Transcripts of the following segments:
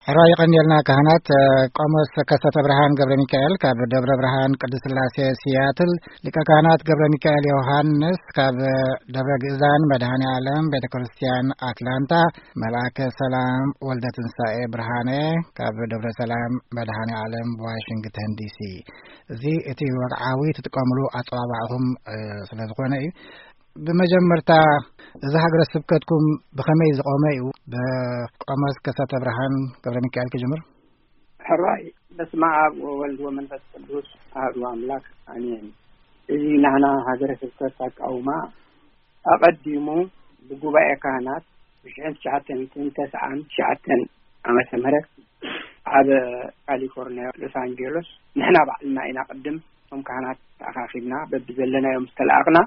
ሕራይ ይቐንየልና። ካህናት፣ እ፣ ቆሞስ ከሰተ ብርሃን ገብረ ሚካኤል ካብ ደብረ ብርሃን ቅድስት ስላሴ ሲያትል፣ ሊቀ ካህናት ገብረ ሚካኤል ዮሃንስ ካብ ደብረ ግእዛን መድኃኔ ዓለም ቤተ ክርስቲያን ኣትላንታ፣ መልኣከ ሰላም ወልደ ትንሳኤ ብርሃነ ካብ ደብረ ሰላም መድኃኔ ዓለም ዋሽንግተን ዲሲ። እዚ እቲ ወግዓዊ ትጥቀምሉ ኣጸዋውዓኹም፣ እ፣ ስለ ዝኾነ እዩ። ብመጀመርታ፣ እዚ ሃገረ ስብከትኩም ብኸመይ ዝቖመ እዩ? ብቆሞስ ከሰተ ብርሃን ገብረ ሚካኤል ክጅምር። ሕራይ። በስመ ኣብ ወወልድ ወመንፈስ ቅዱስ ኣሐዱ ኣምላክ ኣሜን። እዚ ናህና ሃገረ ስብከት ኣቃውማ ኣቐዲሙ ብጉባኤ ካህናት ብሽሕን ትሽዓተን ሚእትን ተስዓን ትሽዓተን ዓመተ ምህረት ኣብ ካሊፎርኒያ ሎስ ኣንጀሎስ ንሕና ባዕልና ኢና ቅድም እቶም ካህናት ተኣኻኺብና በብዘለናዮም ዝተላኣኽና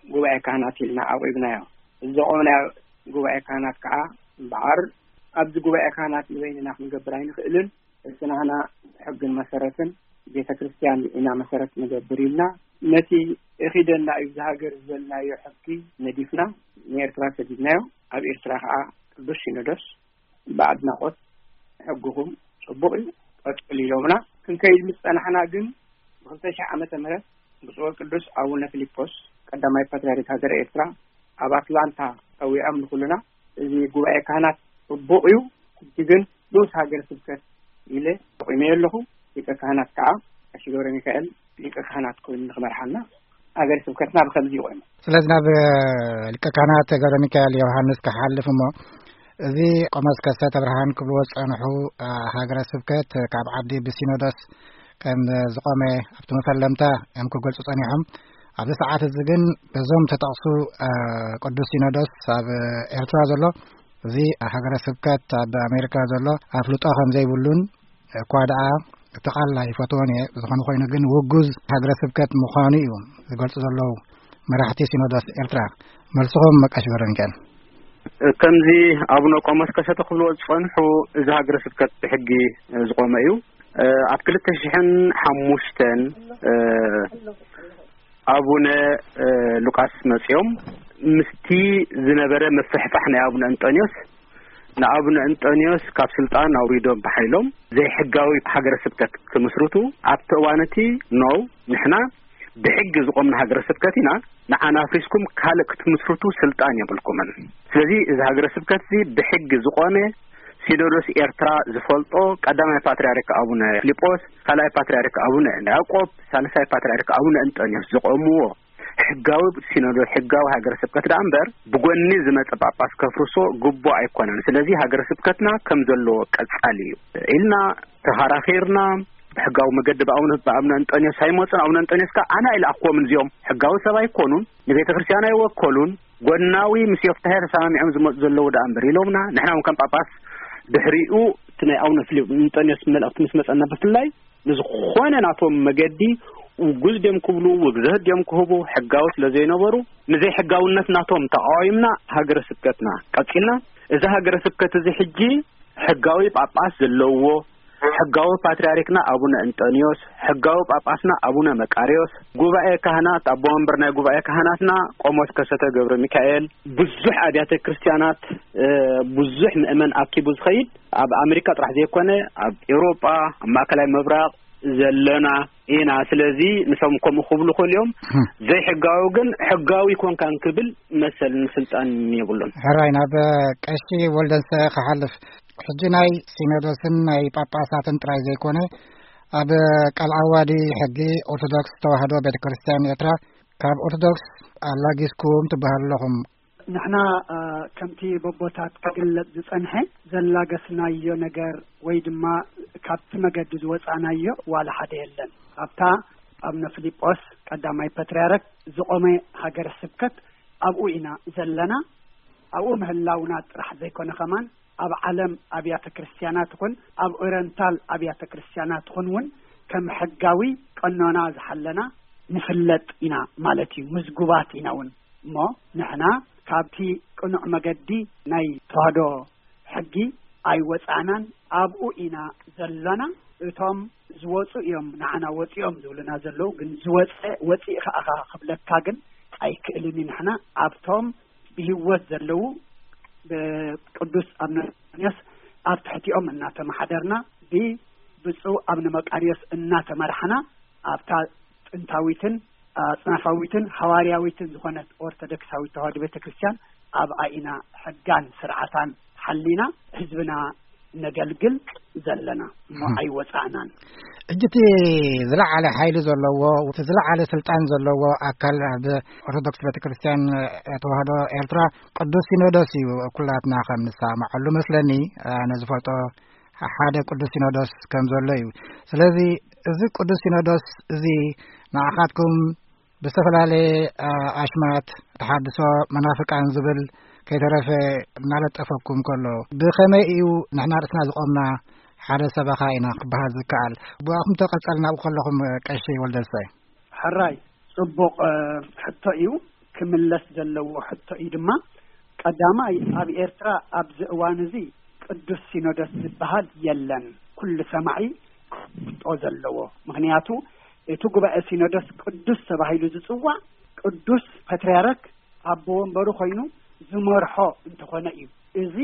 ጉባኤ ካህናት ኢልና ኣቑብናዮ። እዚ ዘቖምናዮ ጉባኤ ካህናት ከዓ እምበኣር ኣብዚ ጉባኤ ካህናት ንበይንና ክንገብር ኣይንኽእልን። እስናህና ሕግን መሰረትን ቤተ ክርስቲያን ኢና መሰረት ንገብር ኢልና ነቲ እኺደና እዩ እዚ ሃገር ዝበልናዮ ሕጊ ነዲፍና ንኤርትራ ሰዲድናዮ። ኣብ ኤርትራ ከዓ ቅዱስ ሲኖዶስ ብኣድናቖት ሕግኹም ጽቡቕ እዩ ቀጽል ኢሎምና። ክንከይድ ምስ ጸናሕና ግን ብክልተ ሺሕ ዓመተ ምህረት ብፁዕ ቅዱስ ኣቡነ ፊሊጶስ ቀዳማይ ፓትርያርክ ሃገረ ኤርትራ ኣብ ኣትላንታ ጸዊዖም ንኹልና እዚ ጉባኤ ካህናት ጽቡቕ እዩ፣ ሕጂ ግን ንኡስ ሃገረ ስብከት ኢለ ኣቑመዮ ኣለኹ። ሊቀ ካህናት ከዓ ቀሺ ገብረ ሚካኤል ሊቀ ካህናት ኮይኑ ንኽመርሓልና ሃገረ ስብከትና ብኸምዚ ይቑም። ስለዚ ናብ ሊቀ ካህናት ገብረ ሚካኤል ዮሃንስ ክሓልፍ እሞ፣ እዚ ቆሞስ ከሰተ ብርሃን ክብልዎ ዝጸንሑ፣ እ፣ ሃገረ ስብከት ካብ ዓዲ ብሲኖዶስ ከም ዝቖመ ኣብቲ መፈለምታ እዮም ክገልጹ ጸኒሖም። ኣብዚ ሰዓት እዚ ግን በዞም ተጠቕሱ፣ እ፣ ቅዱስ ሲኖዶስ ኣብ ኤርትራ ዘሎ፣ እዚ ሃገረ ስብከት ኣብ ኣሜሪካ ዘሎ ኣፍልጦ ከም ዘይብሉን እኳ ደኣ እቲ ቃል ኣይፈትዎን እየ፣ ዝኾነ ኮይኑ ግን ውጉዝ ሃገረ ስብከት ምዃኑ እዩ ዝገልጹ ዘለዉ መራሕቲ ሲኖዶስ ኤርትራ። መልስኹም ቀሺ ገብረ ሚካኤል። ከምዚ ኣቡነ ቆሞስ ከሰተ ክብልዎ ዝጸንሑ፣ እዚ ሃገረ ስብከት ብሕጊ ዝቖመ እዩ። ኣብ ክልተ ሽሕን ሓሙሽተን ኣቡነ ሉቃስ መጺኦም ምስቲ ዝነበረ ምፍሕፋሕ ናይ ኣቡነ እንጦንዮስ ንኣቡነ እንጦንዮስ ካብ ስልጣን ኣውሪዶም ብሓይሎም ዘይሕጋዊ ሃገረ ስብከት ክምስርቱ ኣብቲ እዋን እቲ፣ ኖው፣ ንሕና ብሕጊ ዝቖምና ሃገረ ስብከት ኢና፣ ንዓና ኣፍሪስኩም ካልእ ክትምስርቱ ስልጣን የብልኩምን። ስለዚ እዚ ሃገረ ስብከት እዚ ብሕጊ ዝቖመ፣ ሲኖዶስ ኤርትራ ዝፈልጦ፣ ቀዳማይ ፓትርያርክ ኣቡነ ፊልጶስ፣ ካልኣይ ፓትርያርክ ኣቡነ ያዕቆብ፣ ሳልሳይ ፓትርያርክ ኣቡነ እንጦንዮስ ዝቖምዎ ሕጋዊ ሲኖዶስ፣ ሕጋዊ ሃገረ ስብከት ደኣ እምበር ብጎኒ ዝመጸ ጳጳስ ከፍርሶ ግቡእ ኣይኮነን። ስለዚ ሃገረ ስብከትና ከም ዘለዎ ቀጻሊ እዩ ኢልና ተኸራኺርና፣ ብሕጋዊ መገዲ ብኣቡነ፣ ብኣቡነ እንጦንዮስ ኣይመጹን። ኣቡነ እንጦንዮስ ከኣ ኣነ ኣይለኣኽዎምን፣ እዚኦም ሕጋዊ ሰብ ኣይኮኑን፣ ንቤተ ክርስቲያን ኣይወከሉን፣ ጎናዊ ምስ ዮፍታሄ ተሰማሚዖም ዝመጹ ዘለዉ ደኣ እምበር ኢሎምና። ንሕና እውን ከም ጳጳስ ድሕሪኡ እቲ ናይ ኣቡነ ፊልጶስ እንጦንዮስ መልእኽቲ ምስ መጸና ብፍላይ ንዝኾነ ናቶም መገዲ ውጉዝ ድዮም ክብሉ፣ ውግዘት ድዮም ክህቡ፣ ሕጋዊ ስለ ዘይነበሩ፣ ንዘይሕጋውነት ናቶም ተቃዊምና ሃገረ ስብከትና ቀጺልና። እዚ ሃገረ ስብከት እዚ ሕጂ ሕጋዊ ጳጳስ ዘለዎ፣ ሕጋዊ ፓትርያርክና ኣቡነ እንጠንዮስ፣ ሕጋዊ ጳጳስና ኣቡነ መቃርዮስ፣ ጉባኤ ካህናት፣ ኣቦ መንበር ናይ ጉባኤ ካህናትና ቆሞስ ከሰተ ገብረ ሚካኤል፣ ብዙሕ ኣብያተ ክርስቲያናት፣ እ፣ ብዙሕ ምእመን ኣኪቡ ዝኸይድ፣ ኣብ ኣሜሪካ ጥራሕ ዘይኮነ፣ ኣብ ኤውሮጳ፣ ኣብ ማእከላይ ምብራቕ ዘለና ኢና። ስለዚ ንሶም ከምኡ ክብሉ ይኽእሉ እዮም። እም። ዘይሕጋዊ ግን ሕጋዊ ኮንካ እንክብል መሰልን ስልጣንን የብሉን። ሕራይ፣ ናብ ቀሺ ወልደንሰ ክሓልፍ። ሕጂ ናይ ሲኖዶስን ናይ ጳጳሳትን ጥራይ ዘይኮነ፣ ኣብ ቃል ዓዋዲ ሕጊ ኦርቶዶክስ ተዋህዶ ቤተ ክርስቲያን ኤርትራ ካብ ኦርቶዶክስ ኣላጊስኩም ትበሃሉ ኣለኹም። ንሕና፣ እ፣ ከምቲ በቦታት ክግለጽ ዝጸንሐ ዘላገስናዮ ነገር ወይ ድማ ካብቲ መገዲ ዝወጻናዮ ዋላ ሓደ የለን። ኣብታ ኣቡነ ፊልጶስ ቀዳማይ ፓትርያርክ ዝቖመ ሃገረ ስብከት ኣብኡ ኢና ዘለና። ኣብኡ ምህላውና ጥራሕ ዘይኮነ ከማን ኣብ ዓለም ኣብያተ ክርስቲያናት ይኹን ኣብ ኦሪየንታል ኣብያተ ክርስቲያናት ይኹን እውን ከም ሕጋዊ ቀኖና ዝሓለና ንፍለጥ ኢና ማለት እዩ። ምዝጉባት ኢና እውን። እሞ ንሕና ካብቲ ቅኑዕ መገዲ ናይ ተዋህዶ ሕጊ ኣይወጻእናን፣ ኣብኡ ኢና ዘለና። እቶም ዝወጹ እዮም ንዓና ወጺኦም ዝብሉና ዘለዉ፣ ግን ዝወጸ ወጺእኻ ኢኻ ክብለካ ግን ኣይክእልን እዩ። ንሕና ኣብቶም ብህይወት ዘለዉ ብቅዱስ ኣንቶንዮስ ኣብ ትሕቲኦም እናተመሓደርና፣ ብብፁዕ ኣብነ መቃርዮስ እናተመራሕና፣ ኣብታ ጥንታዊትን ኣጽናፋዊትን ሃዋርያዊትን ዝኾነት ኦርቶዶክሳዊት ተዋህዶ ቤተ ክርስቲያን ኣብኣ ኢና ሕጋን ስርዓታን ሓሊና ህዝብና ነገልግል ዘለና እሞ ኣይወጻእናን። ሕጂ እቲ ዝለዓለ ሓይሊ ዘለዎ፣ እቲ ዝለዓለ ስልጣን ዘለዎ ኣካል ኣብ ኦርቶዶክስ ቤተ ክርስቲያን ተዋህዶ ኤርትራ ቅዱስ ሲኖዶስ እዩ። ኩላትና ከም ንሰማማዓሉ መስለኒ፣ ኣነ ዝፈልጦ ሓደ ቅዱስ ሲኖዶስ ከም ዘሎ እዩ። ስለዚ እዚ ቅዱስ ሲኖዶስ እዚ ንዓኻትኩም ብዝተፈላለየ፣ አ፣ ኣሽማት ተሓድሶ መናፍቃን ዝብል ከይተረፈ እናለጠፈኩም ከሎ፣ ብኸመይ እዩ ንሕና ርእስና ዝቖምና ሓደ ሰበኻ ኢና ክበሃል ዝከኣል? ብኣኹም ተቐጸል ናብኡ ከለኹም፣ ቀሺ ወልደሰ። ሕራይ፣ ጽቡቕ፣ እ፣ ሕቶ እዩ። ክምለስ ዘለዎ ሕቶ እዩ ድማ። ቀዳማይ፣ ኣብ ኤርትራ ኣብዚ እዋን እዚ ቅዱስ ሲኖዶስ ዝበሃል የለን። ኩሉ ሰማዒ ክፈልጦ ዘለዎ። ምኽንያቱ፣ እቲ ጉባኤ ሲኖዶስ ቅዱስ ተባሂሉ ዝጽዋዕ ቅዱስ ፓትርያርክ ኣቦ ወንበሩ ኮይኑ ዝመርሖ እንተኾነ እዩ። እዚ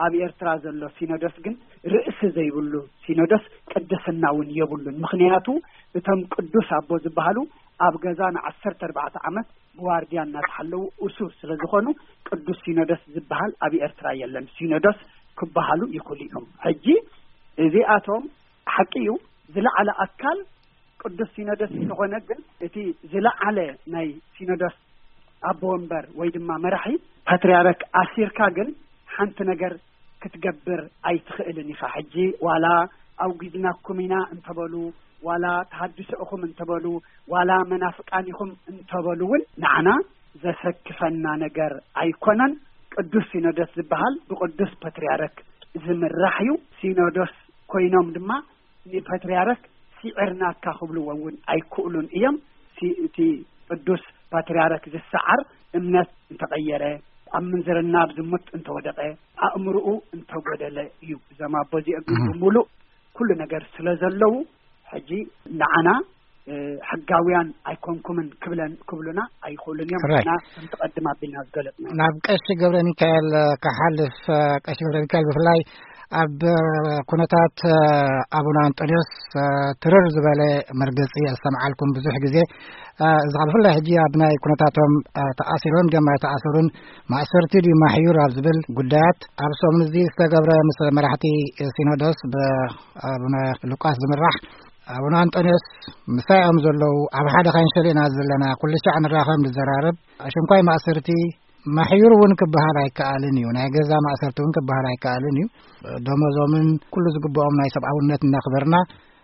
ኣብ ኤርትራ ዘሎ ሲኖዶስ ግን ርእሲ ዘይብሉ ሲኖዶስ ቅድስና እውን የብሉን። ምኽንያቱ፣ እቶም ቅዱስ ኣቦ ዝበሃሉ ኣብ ገዛ ንዓሰርተ ኣርባዕተ ዓመት ብዋርድያ እናተሓለዉ እሱር ስለ ዝኾኑ፣ ቅዱስ ሲኖዶስ ዝበሃል ኣብ ኤርትራ የለን። ሲኖዶስ ክበሃሉ ይኽእሉ እዮም። ሕጂ እዚኣቶም፣ ሓቂ እዩ፣ ዝለዓለ ኣካል ቅዱስ ሲኖዶስ እንተኾነ፣ ግን እቲ ዝለዓለ ናይ ሲኖዶስ ኣቦ ወንበር ወይ ድማ መራሒ ፓትርያርክ ኣሲርካ ግን ሓንቲ ነገር ክትገብር ኣይትኽእልን ኢኻ። ሕጂ ዋላ ኣውጊዝናኩም ኢና እንተበሉ፣ ዋላ ተሃድሶ ኢኹም እንተበሉ፣ ዋላ መናፍቃን ኢኹም እንተበሉ እውን ንዓና ዘሰክፈና ነገር ኣይኮነን። ቅዱስ ሲኖዶስ ዝበሃል ብቅዱስ ፓትርያርክ ዝምራሕ እዩ። ሲኖዶስ ኮይኖም ድማ ንፓትርያርክ ስዒርናካ ክብልዎ እውን ኣይክእሉን እዮም። ሲ-፣ እቲ ቅዱስ ፓትርያርክ ዝሰዓር እምነት እንተቐየረ፣ ኣብ ምንዝርና፣ ኣብ ዝሙት እንተወደቐ፣ ኣእምርኡ እንተጎደለ እዩ። እዞም ኣቦ እዚኦም ግን እህ። ብምሉእ ኩሉ ነገር ስለ ዘለዉ፣ ሕጂ ንዓና፣ እ፣ ሕጋውያን ኣይኮንኩምን ክብለን-፣ ክብሉና ኣይኽእሉን እዮም። ሕራይ። ንሕና ከምቲ ቀድም ኣቢልና ዝገለጽና። ናብ ቀሺ ገብረ ሚካኤል፣ እ፣ ክሓልፍ፣ እ፣ ቀሺ ገብረ ሚካኤል ብፍላይ ኣብ፣ እ፣ ኩነታት፣ እ፣ ኣቡነ ኣንጦንዮስ፣ እ፣ ትርር ዝበለ መርገጺ ኣስተምዓልኩም ብዙሕ ግዜ። እ፣ እዚ ኸኣ ብፍላይ ሕጂ ኣብ ናይ ኩነታቶም፣ እ፣ ተኣሲሮም ድዮም ኣይተኣሰሩን፣ ማእሰርቲ ድዩ ማሕዩር ኣብ ዝብል ጉዳያት ኣብ ሰሙን እዚ ዝተገብረ ምስ መራሕቲ ሲኖዶስ ብ-፣ ኣቡነ ሉቃስ ዝምራሕ ኣቡነ ኣንጦንዮስ ምሳይ እዮም ዘለዉ። ኣብ ሓደ ካንሸል ኢና ዘለና። ኩሉ ሻዕ ንራኸብ፣ ንዘራረብ። ኣሽንኳይ ማእሰርቲ ማሕዩር እውን ክበሃል ኣይከኣልን እዩ። ናይ ገዛ ማእሰርቲ እውን ክበሃል ኣይከኣልን እዩ። ደሞዞምን ኩሉ ዝግብኦም ናይ ሰብኣውነት እናኽበርና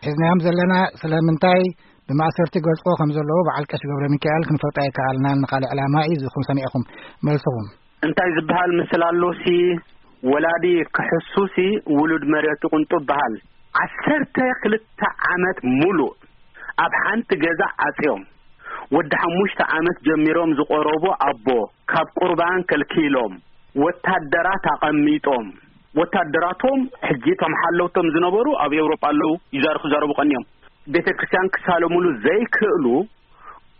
ሒዝናዮም ዘለና። ስለምንታይ ብማእሰርቲ ይገልጽዎ ከም ዘለዉ በዓል ቀሺ ገብረ ሚካኤል ክንፈልጦ ኣይከኣልናን። ንኻልእ ዕላማ እዩ ዝኹም ሰሚዕኹም መልስኹም። እንታይ ዝበሃል ምስል ኣሎ ሲ፣ ወላዲ ክሕሱ ሲ ውሉድ መሬቱ ቅንጡ በሃል። ዓሰርተ ክልተ ዓመት ሙሉእ ኣብ ሓንቲ ገዛ ዓጽዮም፣ ወዲ ሓሙሽተ ዓመት ጀሚሮም ዝቆረቡ ኣቦ ካብ ቁርባን ከልኪሎም፣ ወታደራት ኣቐሚጦም፣ ወታደራቶም ሕጂ እቶም ሓለውቶም ዝነበሩ ኣብ ኤውሮጳ ኣለዉ፣ ይዛረቡ፣ ክዛረቡ ቀንዮም። ቤተ ክርስቲያን ክሳለሙሉ ዘይክእሉ፣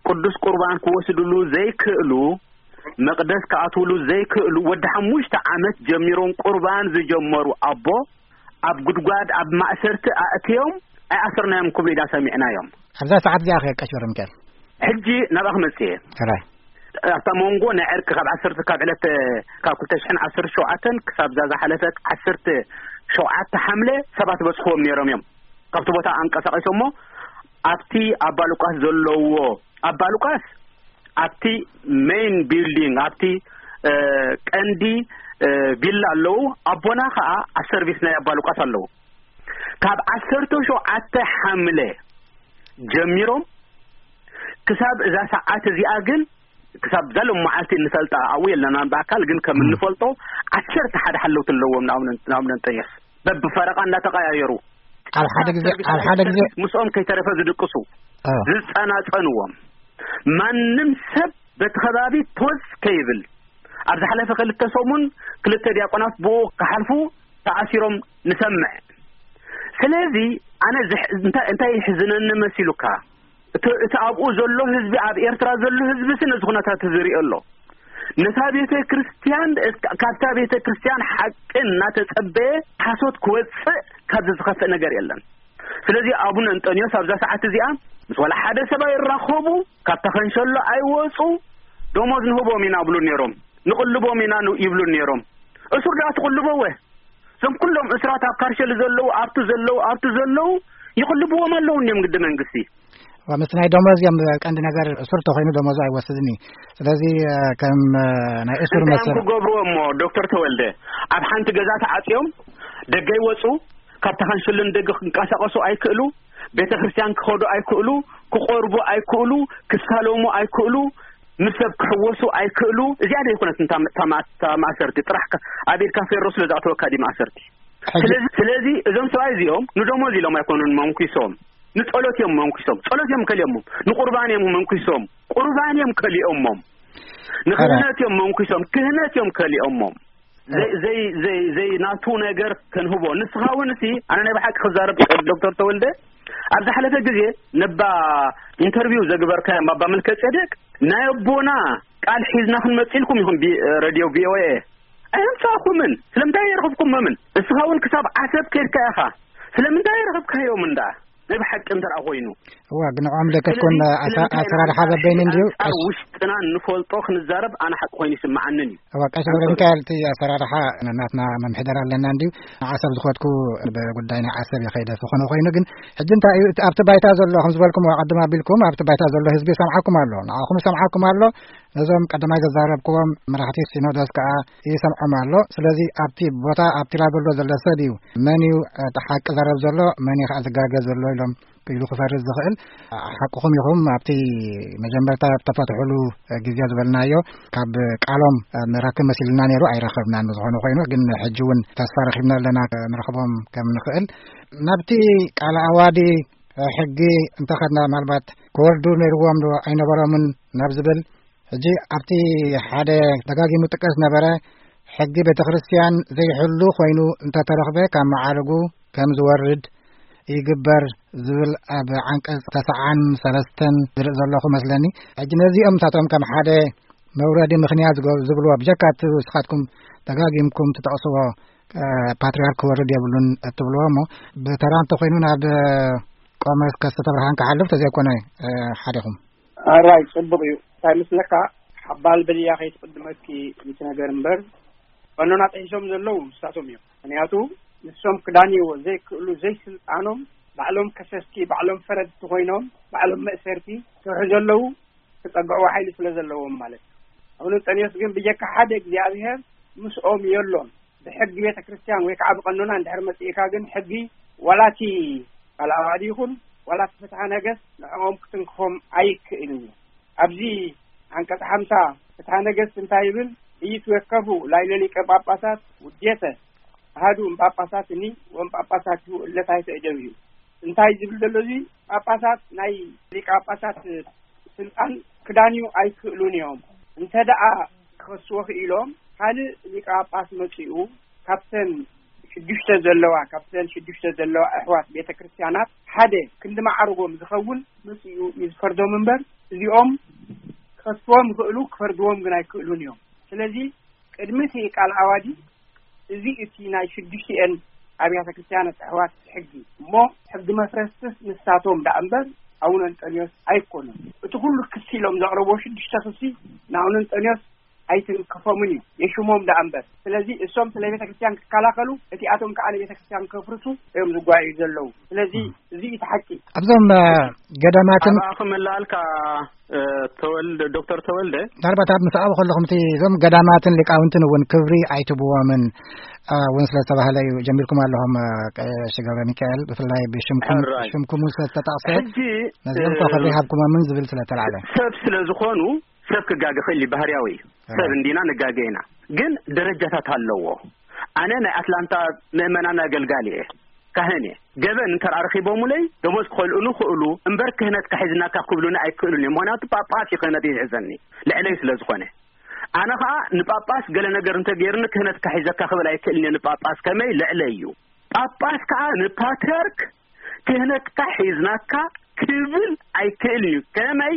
ቅዱስ ቁርባን ክወስድሉ ዘይክእሉ፣ መቅደስ ክኣትውሉ ዘይክእሉ፣ ወዲ ሓሙሽተ ዓመት ጀሚሮም ቁርባን ዝጀመሩ ኣቦ ኣብ ጉድጓድ፣ ኣብ ማእሰርቲ ኣእትዮም ኣይኣሰርናዮም ክብሉ ኢና ሰሚዕናዮም። ኣብዛ ሰዓት እዚኣ ከ ቀሺ ገብረ ሚካኤል? ሕጂ ናብኣ ክመጽእ እየ። ሕራይ። ኣብታ መንጎ ናይ ዕርቂ ካብ ዓሰርተ፣ ካብ ዕለት፣ ካብ ክልተ ሽሕን ዓሰርተ ሸውዓተን ክሳብ እዛ ዝሓለፈት ዓሰርተ ሸውዓተ ሓምለ ሰባት በጽሕዎም ነይሮም እዮም። ካብቲ ቦታ ኣንቀሳቒሶሞ ኣብቲ ኣባ ሉቃስ ዘለዎ፣ ኣባ ሉቃስ ኣብቲ ሜይን ቢልዲንግ፣ ኣብቲ፣ እ፣ ቀንዲ፣ እ፣ ቪላ ኣለዉ። ኣቦና ኸኣ ኣብ ሰርቪስ ናይ ኣባ ሉቃስ ኣለዉ። ካብ ዓሰርተ ሸውዓተ ሓምለ ጀሚሮም ክሳብ እዛ ሰዓት እዚኣ ግን፣ ክሳብ እዛ ሎም መዓልቲ እንፈልጣ፣ ኣብኡ የለናን ብኣካል፣ ግን ከም እም። እንፈልጦ ዓሰርተ ሓደ ሓለውቲ ኣለዎም ንኣቡነ፣ ንኣቡነ እንጠንዮስ። በብፈረቓ እናተቐያየሩ። ኣብ ሓደ ግዜ፣ ኣብ ሓደ ግዜ ምስኦም ከይተረፈ ዝድቅሱ፣ እ። ዝጸናጸንዎም። ማንም ሰብ በቲ ከባቢ ቶዝ ከይብል። ኣብ ዝሓለፈ ክልተ ሰሙን ክልተ ዲያቆናት ብኡ ክሓልፉ ተኣሲሮም ንሰምዕ። ስለዚ ኣነ ዝሕ-፣ እንታይ፣ እንታይ ይሕዝነኒ መሲሉካ? እቲ፣ እቲ ኣብኡ ዘሎ ህዝቢ፣ ኣብ ኤርትራ ዘሎ ህዝቢ ሲ ነዚ ኩነታት እዚ ይሪኦ ኣሎ። ነታ ቤተ ክርስቲያን፣ ካብታ ቤተ ክርስቲያን ሓቂ እናተጸበየ ሓሶት ክወጽእ ካብዚ ዝኸፍእ ነገር የለን። ስለዚ ኣቡነ እንጠንዮስ ኣብዛ ሰዓት እዚኣ ምስ ዋላ ሓደ ሰብ ኣይራኸቡ፣ ካብታ ኸንሸሎ ኣይወጹ። ደሞዝ ንህቦም ኢና ብሉ ነይሮም፣ ንቕልቦም ኢና ን-፣ ይብሉ ነይሮም። እሱር ደኣ ትቕልቦ ወ እዞም ኩሎም እስራት ኣብ ካርሸሊ ዘለዉ፣ ኣብቲ ዘለዉ፣ ኣብቲ ዘለዉ ይቕልብዎም ኣለዉ እንዲዮም ግዲ መንግስቲ። ዋ፣ ምስ ናይ ደሞዝ እዮም ቀንዲ ነገር። እሱር ተኾይኑ ደሞዙ ኣይወስድን እዩ። ስለዚ፣ እ፣ ከም፣ እ፣ ናይ እሱር እንታይ እዮም መሰል ክገብርዎ እሞ ዶክተር ተወልደ? ኣብ ሓንቲ ገዛ ተዓጽዮም ደገ ይወጹ፣ ካብ ተኸንሽልን ደገ ክንቀሳቐሱ ኣይክእሉ፣ ቤተ ክርስቲያን ክኸዱ ኣይክእሉ፣ ክቆርቡ ኣይክእሉ፣ ክሳለሙ ኣይክእሉ፣ ምስ ሰብ ክሕወሱ ኣይክእሉ። እዚኣ ደይኮነት እታ ማ-፣ እታ ማ-፣ እታ ማእሰርቲ ጥራሕ ከ-፣ ኣብ ኢድካ ፌሮ ስለ ዝኣተወካ ድዩ ማእሰርቲ? ሕጂ ስለዚ፣ ስለዚ እዞም ሰብኣይ እዚኦም ንደሞዝ ኢሎም ኣይኮኑን መንኩሶም፣ ንጸሎት እዮም መንኩሶም፣ ጸሎት እዮም ከሊኦሞም፣ ንቁርባን እዮም መንኩሶም፣ ቁርባን እዮም ከሊኦሞም፣ ንክህነት እዮም መንኩሶም፣ ክህነት እዮም ከሊኦሞም። ዘይ-፣ ዘይ-፣ ዘይ-፣ ዘይ ናቱ ነገር ከንህቦ። ንስኻ እውን እሲ፣ ኣነ ናይ ብሓቂ ክዛረብ ዶክተር ተወልደ፣ ኣብ ዝሓለፈ ግዜ ነባ ኢንተርቪው ዘግበርካዮም ኣባ መልከ ጼዴቅ፣ ናይ ኣቦና ቃል ሒዝና ክንመጽእ ኢልኩም ኢኹም ቢ-፣ ሬድዮ ቪ ኦ ኤ። ኣየምጻእኩምን። ስለምንታይ ኣይረኽብኩሞምን? እስኻ እውን ክሳብ ዓሰብ ከድካ ኢኻ። ስለምንታይ ኣይረኽብካዮም እንዳ? ናይ ብሓቂ እንተ ደኣ ኮይኑ። እዋ፣ ግን ንዕኦም ለከት ኮን ስለዚ ኣሳ-፣ ስለምንታይ ኣሰራርሓ ኢና በበይኑ እንዲዩ? ኣንጻር ውሽጥና እንፈልጦ ክንዛረብ ኣነ ሓቂ ኮይኑ ይስምዓንን እዩ። እዋ፣ ቀሺ ገብረ ሚካኤል፣ እቲ ኣሰራርሓ ናትና መምሕደር ኣለና እንዲዩ። ንዓሰብ ዝኸድኩ ብጉዳይ ናይ ዓሰብ ይኸይደ ዝኾነ ኮይኑ፣ ግን ሕጂ እንታይ እዩ እቲ ኣብቲ ባይታ ዘሎ? ከም ዝበልኩም፣ ቅድም ኣቢልኩም ኣብቲ ባይታ ዘሎ ህዝቢ ይሰምዓኩም ኣሎ፣ ንዓኹም ይሰምዓኩም ኣሎ። ነዞም ቀዳማይ ዘዛረብክዎም መራሕቲ ሲኖዶስ ከኣ ይሰምዖም ኣሎ። ስለዚ ኣብቲ ቦታ ኣብቲ ላበሎ ዘሎ ሰብ እዩ መን እዩ እቲ ሓቂ ዘረብ ዘሎ፣ መን እዩ ከኣ ዝጋገ ዘሎ ኢሎም ኢሉ ክፈርድ ዝኽእል። ሓቅኹም ኢኹም። ኣብቲ መጀመርታ ተፈትሑሉ ግዜ ዝበልናዮ ካብ ቃሎም ንረክብ መሲልና ነይሩ፣ ኣይረኸብናን። ዝኾነ ኮይኑ ግን ሕጂ እውን ተስፋ ረኺብና ኣለና ንረኽቦም ከም ንኽእል። ናብቲ ቃለ ኣዋዲ ሕጊ እንተኸድና ምናልባት ክወርዱ ነይርዎም ዶ ኣይነበሮምን ናብ ዝብል ሕጂ ኣብቲ ሓደ ደጋጊሙ ጥቀስ ነበረ፣ ሕጊ ቤተ ክርስቲያን ዘይሕሉ ኮይኑ እንተተረኽበ ካብ መዓርጉ ከም ዝወርድ ይግበር ዝብል ኣብ ዓንቀጽ ተስዓን ሰለስተን ዝርኢ ዘለኹ መስለኒ። ሕጂ ነዚኦም ንሳቶም ከም ሓደ መውረዲ ምኽንያት ዝገ-፣ ዝብልዎ ብጀካ እቲ ንስኻትኩም ደጋጊምኩም ትጠቕስዎ፣ እ፣ ፓትርያርክ ክወርድ የብሉን እትብልዎ እሞ ብተራ እንተኾይኑ ናብ ቆሞስ ከስተብርሃን ክሓልፍ ተዘይኮነ፣ እ፣ ሓደኹም። ኣራይ፣ ጽቡቕ እዩ። እንታይ ምስለካ፣ ሓባል በልያ ከይትቕድመኪ እቲ ነገር እምበር፣ ቀኖና ጥሒሶም ዘለዉ ንሳቶም እዮም። ምኽንያቱ፣ ንሶም ክዳንይዎ ዘይክእሉ፣ ዘይስልጣኖም፣ ባዕሎም ከሰስቲ፣ ባዕሎም ፈረድቲ ኮይኖም፣ ባዕሎም መእሰርቲ ክሰርሑ ዘለዉ፣ ክጸግዕዎ ሓይሊ ስለ ዘለዎም ማለት እዩ። ኣቡነ እንጠንዮስ ግን ብጀካ ሓደ እግዚኣብሔር ምስኦም የሎን። ብሕጊ ቤተ ክርስቲያን ወይ ከዓ ብቐኖና እንድሕር መጺእካ ግን ሕጊ ዋላ እቲ ካልኣዋዲ ይኹን ዋላ እቲ ፍትሐ ነገስት ንዕኦም ክትንክፎም ኣይክእልን እዩ። ኣብዚ ዓንቀጽ ሓምሳ ፍትሐ ነገስት እንታይ ይብል? "ኢይትወከፉ ላዕለ ሊቀ ጳጳሳት ውዴተ ኣሃዱ እምጳጳሳትኒ ወእምጳጳሳቲሁ እለ ታሕተ እደዊሁ." እንታይ ዝብል ዘሎ እዚ? ጳጳሳት ናይ ሊቀ ጳጳሳት ስልጣን ክዳንዩ ኣይክእሉን እዮም። እንተ ደኣ ክኸስዎ ክኢሎም፣ ካልእ ሊቀ ጳጳስ መጺኡ ካብተን ሽዱሽተ ዘለዋ፣ ካብተን ሽዱሽተ ዘለዋ ኣሕዋት ቤተ ክርስቲያናት ሓደ ክንዲ ማዕርጎም ዝኸውን መጺኡ እዩ ዝፈርዶም እምበር፣ እዚኦም ክኸስዎም ይኽእሉ፣ ክፈርድዎም ግን ኣይክእሉን እዮም። ስለዚ ቅድሚ እቲ ቃል ኣዋዲ እዚ እቲ ናይ ሽዱሽቲኤን ኣብያተ ክርስቲያናት ኣሕዋት ሕጊ እሞ፣ ሕጊ መፍረስትስ ንሳቶም ደኣ እምበር ኣቡነ እንጠንዮስ ኣይኮኑን። እቲ ኩሉ ክሲ ኢሎም ዘቕረብዎ ሽዱሽተ ክሲ ንኣቡነ እንጠንዮስ ኣይትንክፎምን እዩ፣ የሽሞም ደኣ እምበር። ስለዚ እሶም ስለ ቤተ ክርስቲያን ክከላኸሉ፣ እቲኣቶም ከኣ ንቤተ ክርስቲያን ከፍርሱ እዮም ዝጓዩ ዘለዉ። ስለዚ ም። እዚ እዩ እቲ ሓቂ። ኣብዞም፣ እ፣ ገዳማትን ኣባኹም እላልካ፣ እ፣ ተወልደ፣ ዶክተር ተወልደ። ምናልባት ኣብ ምስ ኣብኡ ከለኹም እቲ እዞም ገዳማትን ሊቃውንትን እውን ክብሪ ኣይትብዎምን፣ እ፣ እውን ስለ ዝተባህለ እዩ ጀሚርኩም ኣለኹም፣ እ፣ ቀሺ ገብረ ሚካኤል፣ ብፍላይ ብሽምኩም፣ ሕራይ። ሽምኩም እውን ስለ ዝተጠቕሰ ሕጂ፣ ነዚኦም እኮ እ፣ ክብሪ ሃብኩሞምን ዝብል ስለ ተላዕለ። ሰብ ስለ ዝኾኑ ሰብ ክጋገ ክእል እዩ፣ ባህርያዊ እዩ። ሕራይ። ሰብ እንዲና ንጋገ ኢና። ግን ደረጃታት ኣለዎ። ኣነ ናይ ኣትላንታ ምእመናን ኣገልጋሊ እየ። ካህን እየ። ገበን እንተ ደኣ ረኺቦሙለይ፣ ደሞዝ ክኸልኡኒ ይኽእሉ፣ እምበር ክህነትካ ሒዝናካ ክብሉኒ ኣይክእሉን እዮም። ምኽንያቱ ጳጳስ እዩ ክህነት ይሕዘኒ፣ ልዕለይ ስለ ዝኾነ። ኣነ ኸኣ ንጳጳስ ገለ ነገር እንተ ገይሩኒ፣ ክህነትካ ሒዘካ ክብል ኣይክእልን እየ ንጳጳስ፣ ከመይ? ልዕለይ እዩ። ጳጳስ ከኣ ንፓትርያርክ ክህነትካ ሒዝናካ ክብል ኣይክእልን እዩ። ከመይ?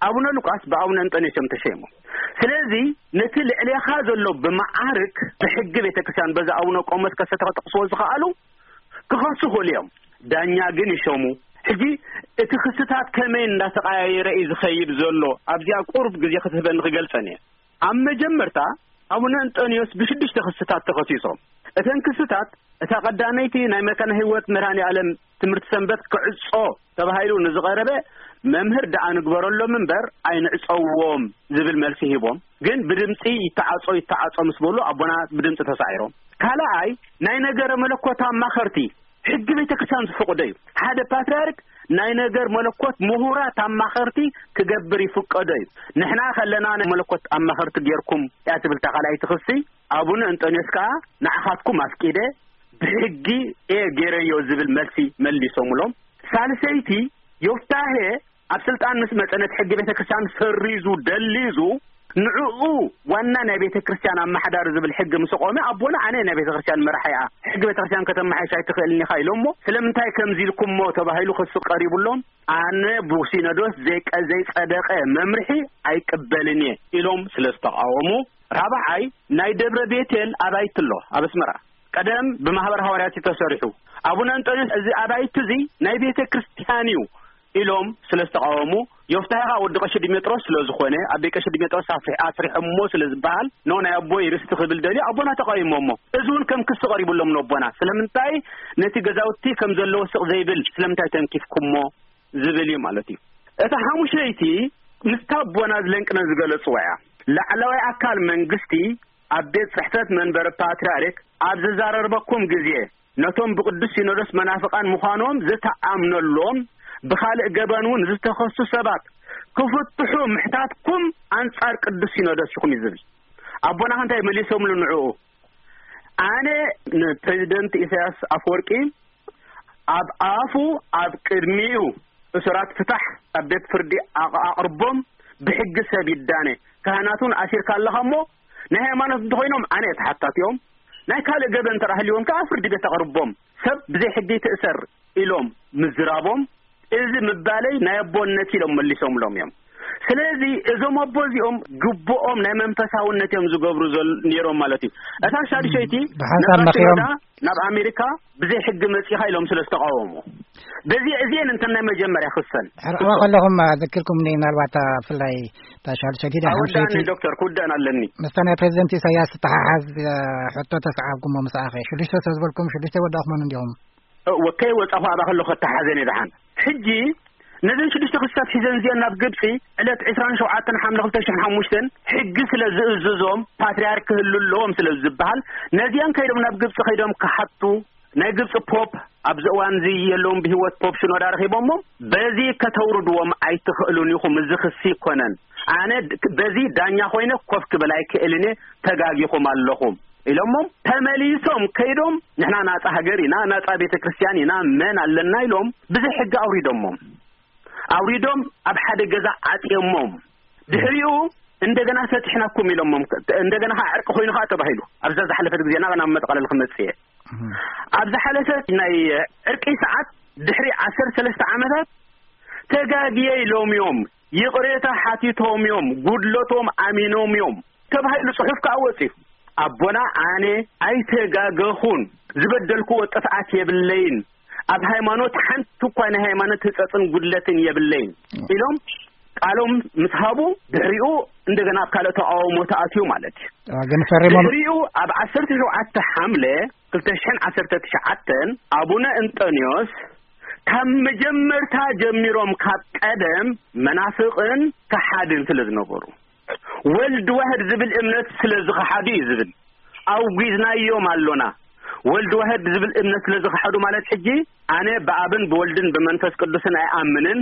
ኣቡነ ሉቃስ ብኣቡነ እንጠንዮስ እዮም ተሸይሞም። ስለዚ ነቲ ልዕሌኻ ዘሎ ብመዓርግ ብሕጊ ቤተክርስትያን በዚ ኣቡነ ቆሞስ ከሰተ ክጠቕስዎ ዝኸኣሉ ክኸሱ ይኽእሉ እዮም። ዳኛ ግን ይሸሙ። ሕጂ እቲ ክስታት ከመይ እንዳተቐያየረ እዩ ዝኸይድ ዘሎ ኣብዚኣ ቁሩብ ግዜ ክትህበኒ ክገልጸን እየ። ኣብ መጀመርታ ኣቡነ እንጦንዮስ ብሽዱሽተ ክስታት ተኸሲሶም። እተን ክስታት እታ ቀዳመይቲ ናይ መካነ ህይወት መድኃኔ ዓለም ትምህርቲ ሰንበት ክዕጾ ተባሂሉ ንዝቐረበ መምህር ደኣ ንግበረሎም እምበር ኣይንዕጸዎም ዝብል መልሲ ሂቦም። ግን ብድምጺ ይተዓጾ ይተዓጾ ምስ በሉ ኣቦና ብድምጺ ተሳዒሮም። ካልኣይ ናይ ነገረ መለኮት ኣማኸርቲ ሕጊ ቤተክርስትያን ዝፈቕዶ እዩ። ሓደ ፓትርያርክ ናይ ነገር መለኮት ምሁራት ኣማኸርቲ ክገብር ይፍቀዶ እዩ። ንሕና ከለና ናይ መለኮት ኣማኸርቲ ጌርኩም እያ ትብል እታ ካልኣይቲ ክሲ። ኣቡነ እንጦንዮስ ከኣ ንዓኻትኩም ኣፍቂደ ብሕጊ እየ ጌረዮ ዝብል መልሲ መሊሶምሎም። ሳልሰይቲ ዮፍታሄ ኣብ ስልጣን ምስ መጸ ነቲ ሕጊ ቤተክርስትያን ሰሪዙ ደሊዙ ንዕኡ ዋና ናይ ቤተክርስትያን ኣመሓዳሪ ዝብል ሕጊ ምስ ቆመ ኣቦና ኣነ ናይ ቤተክርስትያን መራሒ እያ ሕጊ ቤተክርስትያን ከተመሓይሽ ኣይትኽእልን ኢኻ ኢሎሞ። ስለምንታይ ከምዚ ኢልኩሞ ተባሂሉ ክሲ ቀሪቡሎም ኣነ ብሲኖዶስ ዘይቀ ዘይጸደቀ መምርሒ ኣይቅበልን እየ ኢሎም ስለ ዝተቃወሙ። ራብዓይ ናይ ደብረ ቤቴል ኣባይቲ ኣሎ ኣብ ኣስመራ ቀደም ብማህበር ሃዋርያት ተሰሪሑ ኣቡነ እንጦንዮስ እዚ ኣባይቲ እዚ ናይ ቤተ ክርስቲያን እዩ ኢሎም ስለ ዝተቃወሙ። ዮፍታሄ ኸኣ ወዲ ቀሺ ዲሜጥሮስ ስለ ዝኾነ ኣበይ ቀሺ ዲሜጥሮስ ኣፍሪ- ኣስሪሖሞ ስለ ዝበሃል ኖ ናይ ኣቦይ ርስቲ ክብል ደልዩ ኣቦና ተቃዊሞሞ። እዚ እውን ከም ክሲ ቀሪቡሎም ነቦና ስለምንታይ ነቲ ገዛውቲ ከም ዘለዎ ስቕ ዘይብል ስለምንታይ ተንኪፍኩሞ ዝብል እዩ ማለት እዩ። እታ ሓሙሸይቲ ምስታ ኣቦና ዝለንቅነ ዝገለጽዋ እያ። ላዕለዋይ ኣካል መንግስቲ ኣብ ቤት ጽሕፈት መንበሪ ፓትርያርክ ኣብ ዘዛረርበኩም ግዜ ነቶም ብቅዱስ ሲኖዶስ መናፍቃን ምዃኖም ዝተኣምነሎም ብኻልእ ገበን እውን ዝተኸሱ ሰባት ክፍትሑ ምሕታትኩም ኣንጻር ቅዱስ ሲኖዶስ ኢኹም እዩ ዝብል። ኣቦና እንታይ መሊሶምሉ ንዕኡ? ኣነ ንፕሬዚደንት ኢሳያስ ኣፈወርቂ ኣብ ኣፉ ኣብ ቅድሚኡ እሱራት ፍታሕ ኣብ ቤት ፍርዲ ኣቕ- ኣቕርቦም ብሕጊ ሰብ ይዳነ። ካህናት እውን ኣሲርካ ኣለኻ እሞ ናይ ሃይማኖት እንተኾይኖም ኣነ እየ ተሓታቲኦም። ናይ ካልእ ገበን እንተ ሃልይዎም ከዓ ፍርዲ ቤት ኣቕርቦም። ሰብ ብዘይ ሕጊ ይትእሰር ኢሎም ምዝራቦም እዚ ምባለይ ናይ ኣቦነት ኢሎም መሊሶምሎም እዮም። ስለዚ እዞም ኣቦ እዚኦም ግብኦም ናይ መንፈሳውነት እዮም ዝገብሩ ዘል- ነይሮም ማለት እዩ። እታ ሻድሸይቲ ብሓንሳብ ነፋስ መኺሮም ሽኖዳ ናብ ኣሜሪካ ብዘይ ሕጊ መጺኻ ኢሎም ስለ ዝተቃወሙ በዚ እዚአን እንተ ናይ መጀመርያ ክሰን ሕርቕዋ ከለኹም ኣዘኪርኩም ምናልባት ብፍላይ እታ ሻድሸይቲ ዳ ኣወዳኒ ሓምሸይቲ ዶክተር ክውደን ኣለኒ። ምስታ ናይ ፕሬዚደንት ኢሳያስ ዝተሓሓዝ ሕቶ ተሰዓብኩሞ ምስ ኣኸ ሽዱሽተ ሰብ ዝበልኩም ሽዱሽተ ወዳእኹመን እንዲኹም ወከይ ወጻኹ ኣባ ከሎ ከተሓዘን ይደሓን። ሕጂ ነዘን ሽዱሽተ ክስታት ሒዘን እዚአን ናብ ግብጺ ዕለት ዕስራን ሸውዓተን ሓምለ ክልተ ሽሕን ሓሙሽተን ሕጊ ስለ ዝእዝዞም ፓትርያርክ ክህሉ ኣለዎም ስለ ዝበሃል ነዚአን ከይዶም ናብ ግብጺ ከይዶም ክሓቱ ናይ ግብጺ ፖፕ ኣብዚ እዋን እዚ የለውን ብህይወት ፖፕ ሽኖዳ ረኺቦሞ በዚ ከተውርድዎም ኣይትኽእሉን ኢኹም እዚ ክሲ ይኮነን ኣነ በዚ ዳኛ ኮይነ ኮፍ ክብል ኣይክእልን እየ ተጋጊኹም ኣለኹም ኢሎሞም ተመሊሶም ከይዶም ንሕና ናጻ ሃገር ኢና ናጻ ቤተ ክርስቲያን ኢና መን ኣለና ኢሎም ብዘይ ሕጊ ኣውሪዶሞም ኣውሪዶም ኣብ ሓደ ገዛ ዓጽዮሞም ድሕሪኡ እንደገና ፈትሕናኩም ኢሎሞም እንደገና ከዓ ዕርቂ ኮይኑ ከዓ ተባሂሉ ኣብዛ ዝሓለፈት ግዜና ናብ መጠቃለል ክመጽእ እየ ኣብ ዝሓለፈ ናይ ዕርቂ ሰዓት ድሕሪ ዓሰርተ ሰለስተ ዓመታት ተጋግየ ኢሎም እዮም ይቕሬታ ሓቲቶም እዮም ጉድለቶም ኣሚኖም እዮም ተባሂሉ ጽሑፍ ከዓ ወጺኡ ኣቦና ኣነ ኣይተጋገኹን ዝበደልክዎ ጥፍኣት የብለይን ኣብ ሃይማኖት ሓንቲ እኳ ናይ ሃይማኖት ህጸጽን ጉድለትን የብለይን ኢሎም ቃሎም ምስ ሃቡ ድሕሪኡ እንደገና ኣብ ካልእ ተቃውሞ ተኣትዩ ማለት እዩ። ግን ፈሪሞም ድሕሪኡ ኣብ ዓሰርተ ሸውዓተ ሓምለ ክልተ ሽሕን ዓሰርተ ትሽዓተን ኣቡነ እንጠንዮስ ካብ መጀመርታ ጀሚሮም ካብ ቀደም መናፍቕን ከሓድን ስለ ዝነበሩ ወልድ ዋህድ ዝብል እምነት ስለ ዝኸሓዱ እዩ ዝብል ኣውጊዝናዮም ኣሎና። ወልድ ዋህድ ዝብል እምነት ስለ ዝኸሓዱ ማለት ሕጂ ኣነ ብኣብን ብወልድን ብመንፈስ ቅዱስን ኣይኣምንን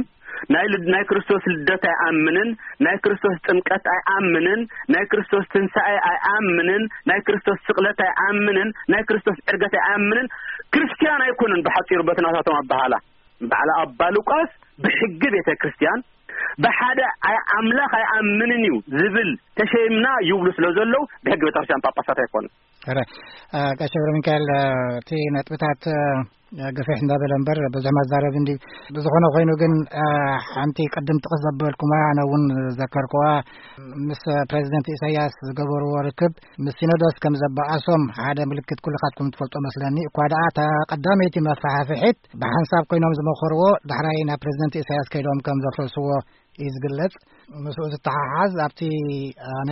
ናይ ልድ ናይ ክርስቶስ ልደት ኣይኣምንን ናይ ክርስቶስ ጥምቀት ኣይኣምንን ናይ ክርስቶስ ትንሳኤ ኣይኣምንን ናይ ክርስቶስ ስቕለት ኣይኣምንን ናይ ክርስቶስ ዕርገት ኣይኣምንን ክርስትያን ኣይኮኑን ብሓጺሩ በቲ ናታቶም ኣበሃላ በዓል ኣባ ሉቃስ ብሕጊ ቤተ ክርስትያን ብሓደ ኣይ ኣምላኽ ኣይኣምንን እዩ ዝብል ተሸይምና ይብሉ ስለ ዘለዉ ብሕጊ ቤተ ክርስትያን ጳጳሳት ኣይኮኑን። ረ ቀሸብረ ሚካኤል እቲ ነጥብታት ገፊሕ እንዳበለ እምበር ብዙሕ መዛረቢ እንዲ። ብዝኾነ ኮይኑ ግን፣ እ፣ ሓንቲ ቅድም ጥቕስ ዘበልኩማ፣ ኣነ እውን ዘከርኩዋ፣ ምስ ፕሬዚደንት ኢሳያስ ዝገበርዎ ርክብ ምስ ሲኖዶስ ከም ዘበኣሶም ሓደ ምልክት ኩልኻትኩም ትፈልጦ መስለኒ። እኳ ደኣ እታ ቀዳመይቲ መፋሕፍሒት ብሓንሳብ ኮይኖም ዝመኸርዎ፣ ዳሕራይ ናብ ፕሬዚደንት ኢሳያስ ከይዶም ከም ዘፍረስዎ እዩ ዝግለጽ። ምስኡ ዝተሓሓዝ ኣብቲ ኣነ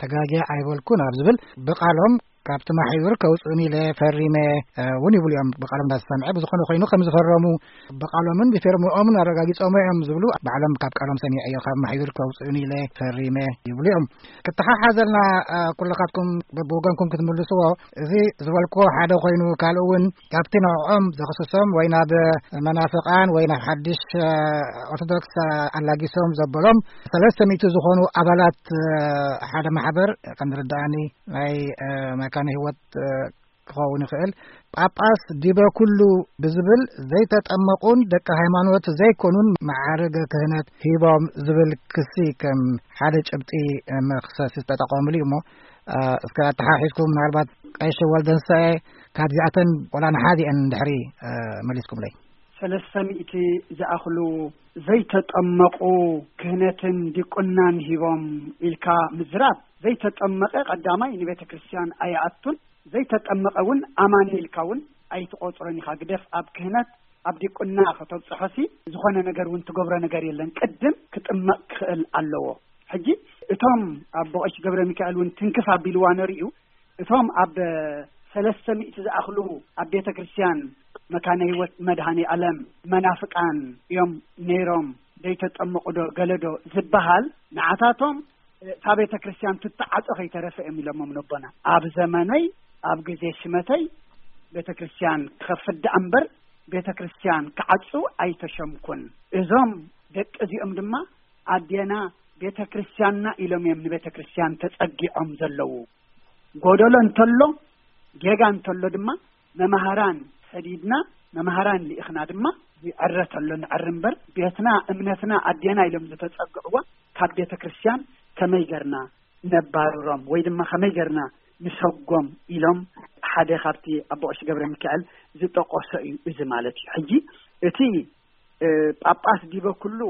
ተጋግየ ኣይበልኩን ኣብ ዝብል ብቃሎም ካብቲ ማሕዩር ከውፅእን ኢለ ፈሪመ እውን ይብሉ እዮም። ብቃሎም እንዳተሰምዐ ብዝኾነ ኮይኑ ከም ዝፈረሙ ብቃሎምን ብፊርምኦምን ኣረጋጊፆም እዮም ዝብሉ ባዕሎም ካብ ቃሎም ሰሚዐዮ። ካብ ማሕዩር ከውፅእን ኢለ ፈሪመ ይብሉ እዮም። ክተሓሓዘልና ኩልኻትኩም ብወገንኩም ክትምልስዎ፣ እዚ ዝበልክዎ ሓደ ኮይኑ ካልእ እውን ካብቲ ንዕኦም ዘኽስሶም ወይ ናብ መናፍቃን ወይ ናብ ሓድሽ ኦርቶዶክስ ኣላጊሶም ዘበሎም ሰለስተ ሚእቲ ዝኾኑ ኣባላት ሓደ ማሕበር ከም ዝርዳእኒ ናይ መካነ ህይወት ክኸውን ይኽእል። ጳጳስ ዲበ ኩሉ ብዝብል ዘይተጠመቁን ደቂ ሃይማኖት ዘይኮኑን መዓርገ ክህነት ሂቦም ዝብል ክሲ ከም ሓደ ጭብጢ መኽሰስ ዝተጠቐሙሉ እዩ እሞ እስከ ኣተሓሒዝኩም ምናልባት ቀይሽ ወልደንሳኤ ካብዚኣተን ቆላ ንሓዲአን እንድሕሪ መሊስኩምለይ። ሰለስተ ሚእቲ ዝኣኽሉ ዘይተጠመቁ ክህነትን ዲቁናን ሂቦም ኢልካ ምዝራብ፣ ዘይተጠመቀ ቀዳማይ ንቤተ ክርስቲያን ኣይኣቱን፣ ዘይተጠመቀ እውን ኣማኒ ኢልካ እውን ኣይትቆፅሮን ኢኻ። ግደፍ ኣብ ክህነት ኣብ ዲቁና ከተብፅሖሲ ዝኾነ ነገር እውን ትገብሮ ነገር የለን። ቅድም ክጥመቅ ክኽእል ኣለዎ። ሕጂ እቶም ኣቦ ቀሺ ገብረ ሚካኤል እውን ትንክፍ ኣቢልዋ ነሪኡ፣ እቶም ኣብ ሰለስተ ሚእቲ ዝኣኽሉ ኣብ ቤተ ክርስቲያን መካነ ህይወት መድኃኔ ዓለም መናፍቃን እዮም ነይሮም፣ ዘይተጠመቁ ዶ ገለ ዶ ዝበሃል፣ ንዓታቶም እታ ቤተ ክርስቲያን ትተዓጾ ከይተረፈ እዮም ኢሎሞም ነቦና። ኣብ ዘመነይ ኣብ ግዜ ሽመተይ ቤተ ክርስቲያን ክኸፍት ደኣ እምበር ቤተ ክርስቲያን ክዓጹ ኣይተሸምኩን። እዞም ደቂ እዚኦም ድማ ኣዴና ቤተ ክርስቲያንና ኢሎም እዮም ንቤተ ክርስቲያን ተጸጊዖም ዘለዉ። ጎደሎ እንተሎ ጌጋ እንተሎ ድማ መማህራን ሰዲድና መማህራን ልኢኽና ድማ ይዕረ ተሎ ንዕሪ እምበር ቤትና እምነትና ኣዴና ኢሎም ዝተጸግዕዋ ካብ ቤተ ክርስቲያን ከመይ ገርና ነባርሮም ወይ ድማ ከመይ ገርና ንሰጎም ኢሎም ሓደ ካብቲ ኣቦ ቀሺ ገብረ ሚካኤል ዝጠቆሶ እዩ እዚ ማለት እዩ። ሕጂ እቲ እ፣ ጳጳስ ዲበ ኩሉ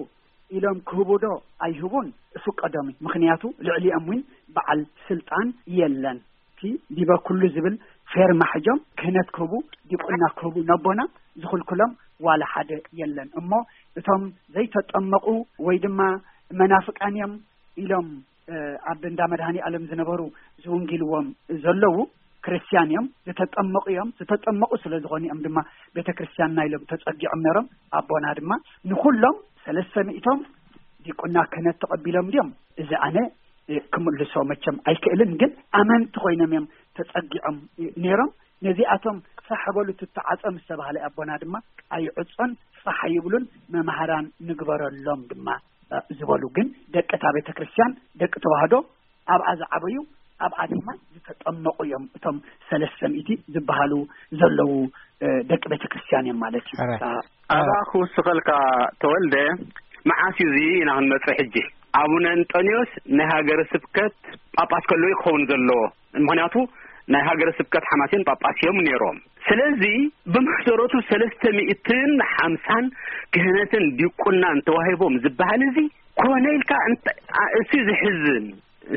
ኢሎም ክህቡ ዶ ኣይህቡን ፍቀዶም እዩ። ምኽንያቱ ልዕሊኦም እውን በዓል ስልጣን የለን። እቲ ዲበ ኩሉ ዝብል ፌርማ ሕጆም ክህነት ክህቡ ዲቁና ክህቡ ነቦና ዝኽልክሎም ዋላ ሓደ የለን። እሞ እቶም ዘይተጠመቁ ወይ ድማ መናፍቃን እዮም ኢሎም ኣብ እንዳ መድሃኒ ዓለም ዝነበሩ ዝውንጊልዎም ዘለዉ ክርስቲያን እዮም፣ ዝተጠመቑ እዮም። ዝተጠመቑ ስለ ዝኾኑ እዮም ድማ ቤተ ክርስቲያንና ኢሎም ተጸጊዖም ነሮም። ኣቦና ድማ ንኹሎም ሰለስተ ሚእቶም ዲቁና ክህነት ተቐቢሎም ድዮም? እዚ ኣነ ክምልሶ መቸም ኣይክእልን፣ ግን ኣመንቲ ኮይኖም እዮም ተጸጊዖም ነሮም። ነዚኣቶም ፋሕ በሉ ትተዓጸ ምስ ተባህለ ኣቦና ድማ ኣይዕጾን ፋሕ ይብሉን፣ መምሃራን ንግበረሎም ድማ ዝበሉ። ግን ደቂ እታ ቤተ ክርስቲያን ደቂ ተዋህዶ ኣብኣ ዝዓበዩ ኣብኣ ድማ ዝተጠመቑ እዮም እቶም ሰለስተ ሚእቲ ዝበሃሉ ዘለዉ ደቂ ቤተ ክርስቲያን እዮም ማለት እዩ። ኣባ ክውስኸልካ ተወልደ፣ መዓስ እዩ እዚ ኢና ክንመጽእ ሕጂ? ኣቡነ እንጠንዮስ ናይ ሃገረ ስብከት ጳጳስ ከለዉ ክኸውን ዘለዎ። ምኽንያቱ ናይ ሃገረ ስብከት ሓማሴን ጳጳስ እዮም ነይሮም። ስለዚ ብመሰረቱ ሰለስተ ሚእትን ሓምሳን ክህነትን ዲቁናን ተዋሂቦም ዝበሃል እዚ ኮነ ኢልካ እሱ ዝሕዝን።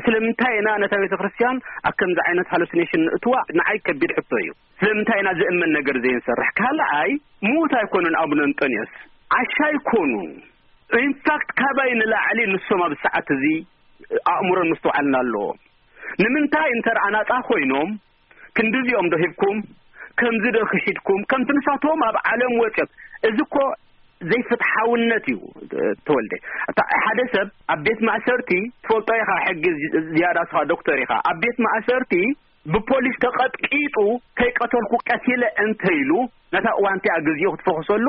ስለምንታይ ኢና ነታ ቤተ ክርስቲያን ኣብ ከምዚ ዓይነት ሃሉሲኔሽን ንእትዋ ንዓይ ከቢድ ሕቶ እዩ። ስለምንታይ ኢና ዝእመን ነገር ዘይንሰርሕ? ካልኣይ ምዉት ኣይኮኑን ኣቡነ እንጠንዮስ፣ ዓሻ ኣይኮኑን። ኢንፋክት ካባይ ንላዕሊ ንሶም ኣብ ሰዓት እዚ ኣእምሮን ምስትውዓልን ኣለዎም። ንምንታይ እንተ ኣናጻ ኮይኖም ክንድዚኦም ዶ ሂብኩም፣ ከምዚ ዶ ክሒድኩም፣ ከምቲ ንሳቶም ኣብ ዓለም ወጽዮም? እዚ እኮ ዘይፍትሓውነት እዩ። ተወልደ፣ ሓደ ሰብ ኣብ ቤት ማእሰርቲ ትፈልጦ ኢኻ፣ ሕጊ ዝያዳ ስኻ ዶክተር ኢኻ። ኣብ ቤት ማእሰርቲ ብፖሊስ ተቐጥቂጡ ከይቀተልኩ ቀቲለ እንተ ኢሉ ነታ እዋን እቲኣ ግዜኡ ክትፈኽሰሉ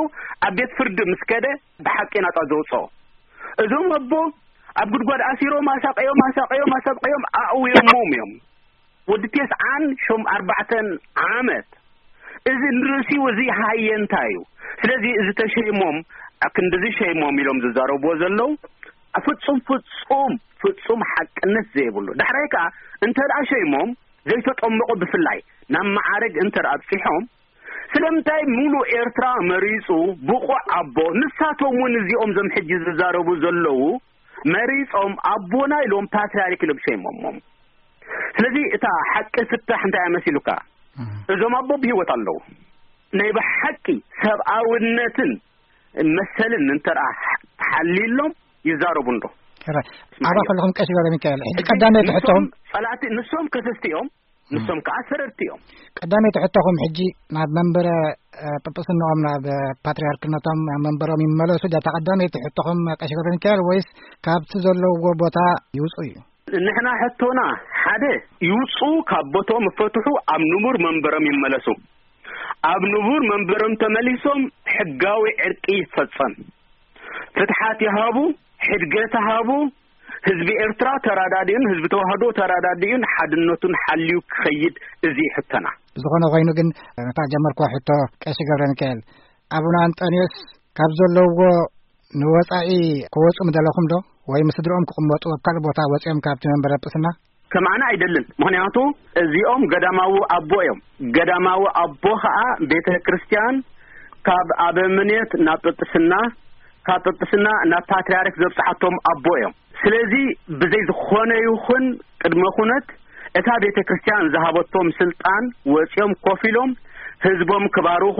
ኣብ ቤት ፍርዲ ምስ ከደ ብሓቂ ናጻ ዘውፅኦ። እዞም ኣቦ ኣብ ጉድጓድ ኣሲሮም ኣሳቀዮም ኣሳቀዮም ኣሳቀዮም ኣእውዮሞም እዮም። ወዲ ቴስዓን ሾም ኣርባዕተን ዓመት። እዚ ንርእሲኡ እዚ ሃየንታ እዩ። ስለዚ እዚ ተሸይሞም ክንድዚ ሸይሞም ኢሎም ዝዛረብዎ ዘለዉ ፍጹም ፍጹም ፍጹም ሓቅነት ዘይብሉ። ዳሕራይ ከኣ እንተ ደኣ ሸይሞም ዘይተጠመቑ ብፍላይ ናብ መዓረግ እንተ ደኣ ኣብጺሖም ስለምንታይ ሙሉእ ኤርትራ መሪጹ ብቑዕ ኣቦ፣ ንሳቶም እውን እዚኦም ዞም ሕጂ ዝዛረቡ ዘለዉ መሪጾም ኣቦና ኢሎም ፓትርያርክ ኢሎም ሸይሞሞም። ስለዚ እታ ሓቂ ፍታሕ እንታይ እያ መሲሉካ? እዞም ኣቦ ብህይወት ኣለዉ። ናይ ብሓቂ ሰብኣውነትን መሰልን እንተ ደኣ ሓልዩሎም ይዛረቡ እንዶ። ሕራይ። ኣባ ከለኹም ቀሺ ገብረ ሚካኤል፣ ሕጂ ቀዳመይቲ ሕቶኹም ንሶም ጸላእቲ፣ ንሶም ከሰስቲ እዮም፣ ንሶም ከኣ ሰረርቲ እዮም። ቀዳመይቲ ሕቶኹም ሕጂ ናብ መንበረ፣ እ፣ ጵጵስንኦም ናብ ፓትርያርክነቶም ናብ መንበሮም ይመለሱ ድያ እታ ቀዳመይቲ ሕቶኹም ቀሺ ገብረ ሚካኤል፣ ወይስ ካብቲ ዘለውዎ ቦታ ይውጹ እዩ? ንሕና ሕቶና ሓደ ይውጹ፣ ካብ ቦትኦም ይፈትሑ፣ ኣብ ንቡር መንበሮም ይመለሱ። ኣብ ንቡር መንበሮም ተመሊሶም ሕጋዊ ዕርቂ ይፈጸም። ፍትሓት ይሃቡ፣ ሕድገት ይሃቡ። ህዝቢ ኤርትራ ተራዳዲኡን ህዝቢ ተዋህዶ ተራዳዲኡን ሓድነቱን ሓልዩ ክኸይድ እዚ ሕቶና። ዝኾነ ኮይኑ ግን ነታ ጀመርኩዋ ሕቶ ቀሺ ገብረ ሚካኤል፣ ኣቡነ ኣንጠንዮስ ካብ ዘለውዎ ንወጻኢ ክወጹ ምደለኹም ዶ? ወይ ምስ ስድርኦም ክቕመጡ ኣብ ካልእ ቦታ ወጺኦም ካብቲ መንበረ ጵስና? ከማና ኣይደልን። ምኽንያቱ እዚኦም ገዳማዊ ኣቦ እዮም። ገዳማዊ ኣቦ ኸኣ ቤተ ክርስቲያን ካብ ኣበምኔት ናብ ጵጵስና፣ ካብ ጵጵስና ናብ ፓትርያርክ ዘብጽሓቶም ኣቦ እዮም። ስለዚ ብዘይ ዝኾነ ይኹን ቅድመ ኩነት እታ ቤተ ክርስቲያን ዝሃበቶም ስልጣን ወጺኦም ኮፍ ኢሎም ህዝቦም ክባርኹ፣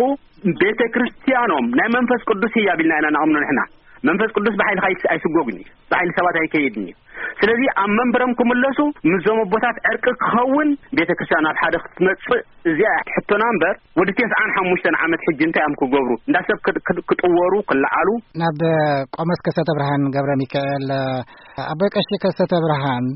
ቤተ ክርስቲያኖም ናይ መንፈስ ቅዱስ ህያብ ኢልና ኢና ነኣምኖ ንሕና። መንፈስ ቅዱስ ብሓይልኻ ኣይስ-፣ ኣይስጎግን እዩ። ብሓይሊ ሰባት ኣይከይድን እዩ። ስለዚ ኣብ መንበሮም ክምለሱ ምስዞም ኣቦታት ዕርቂ ክኸውን ቤተ ክርስቲያን ኣብ ሓደ ክትመጽእ እዚኣ ሕቶና እምበር ወዲ ተስዓን ሓሙሽተን ዓመት ሕጂ እንታይ እዮም ክገብሩ? እንዳ ሰብ ክጥ-፣ ክጥ-፣ ክጥወሩ፣ ክለዓሉ? ናብ ቆሞስ ከሰተ ብርሃን ገብረ ሚካኤል፣ ኣቦይ ቀሺ ከሰተ ብርሃን፣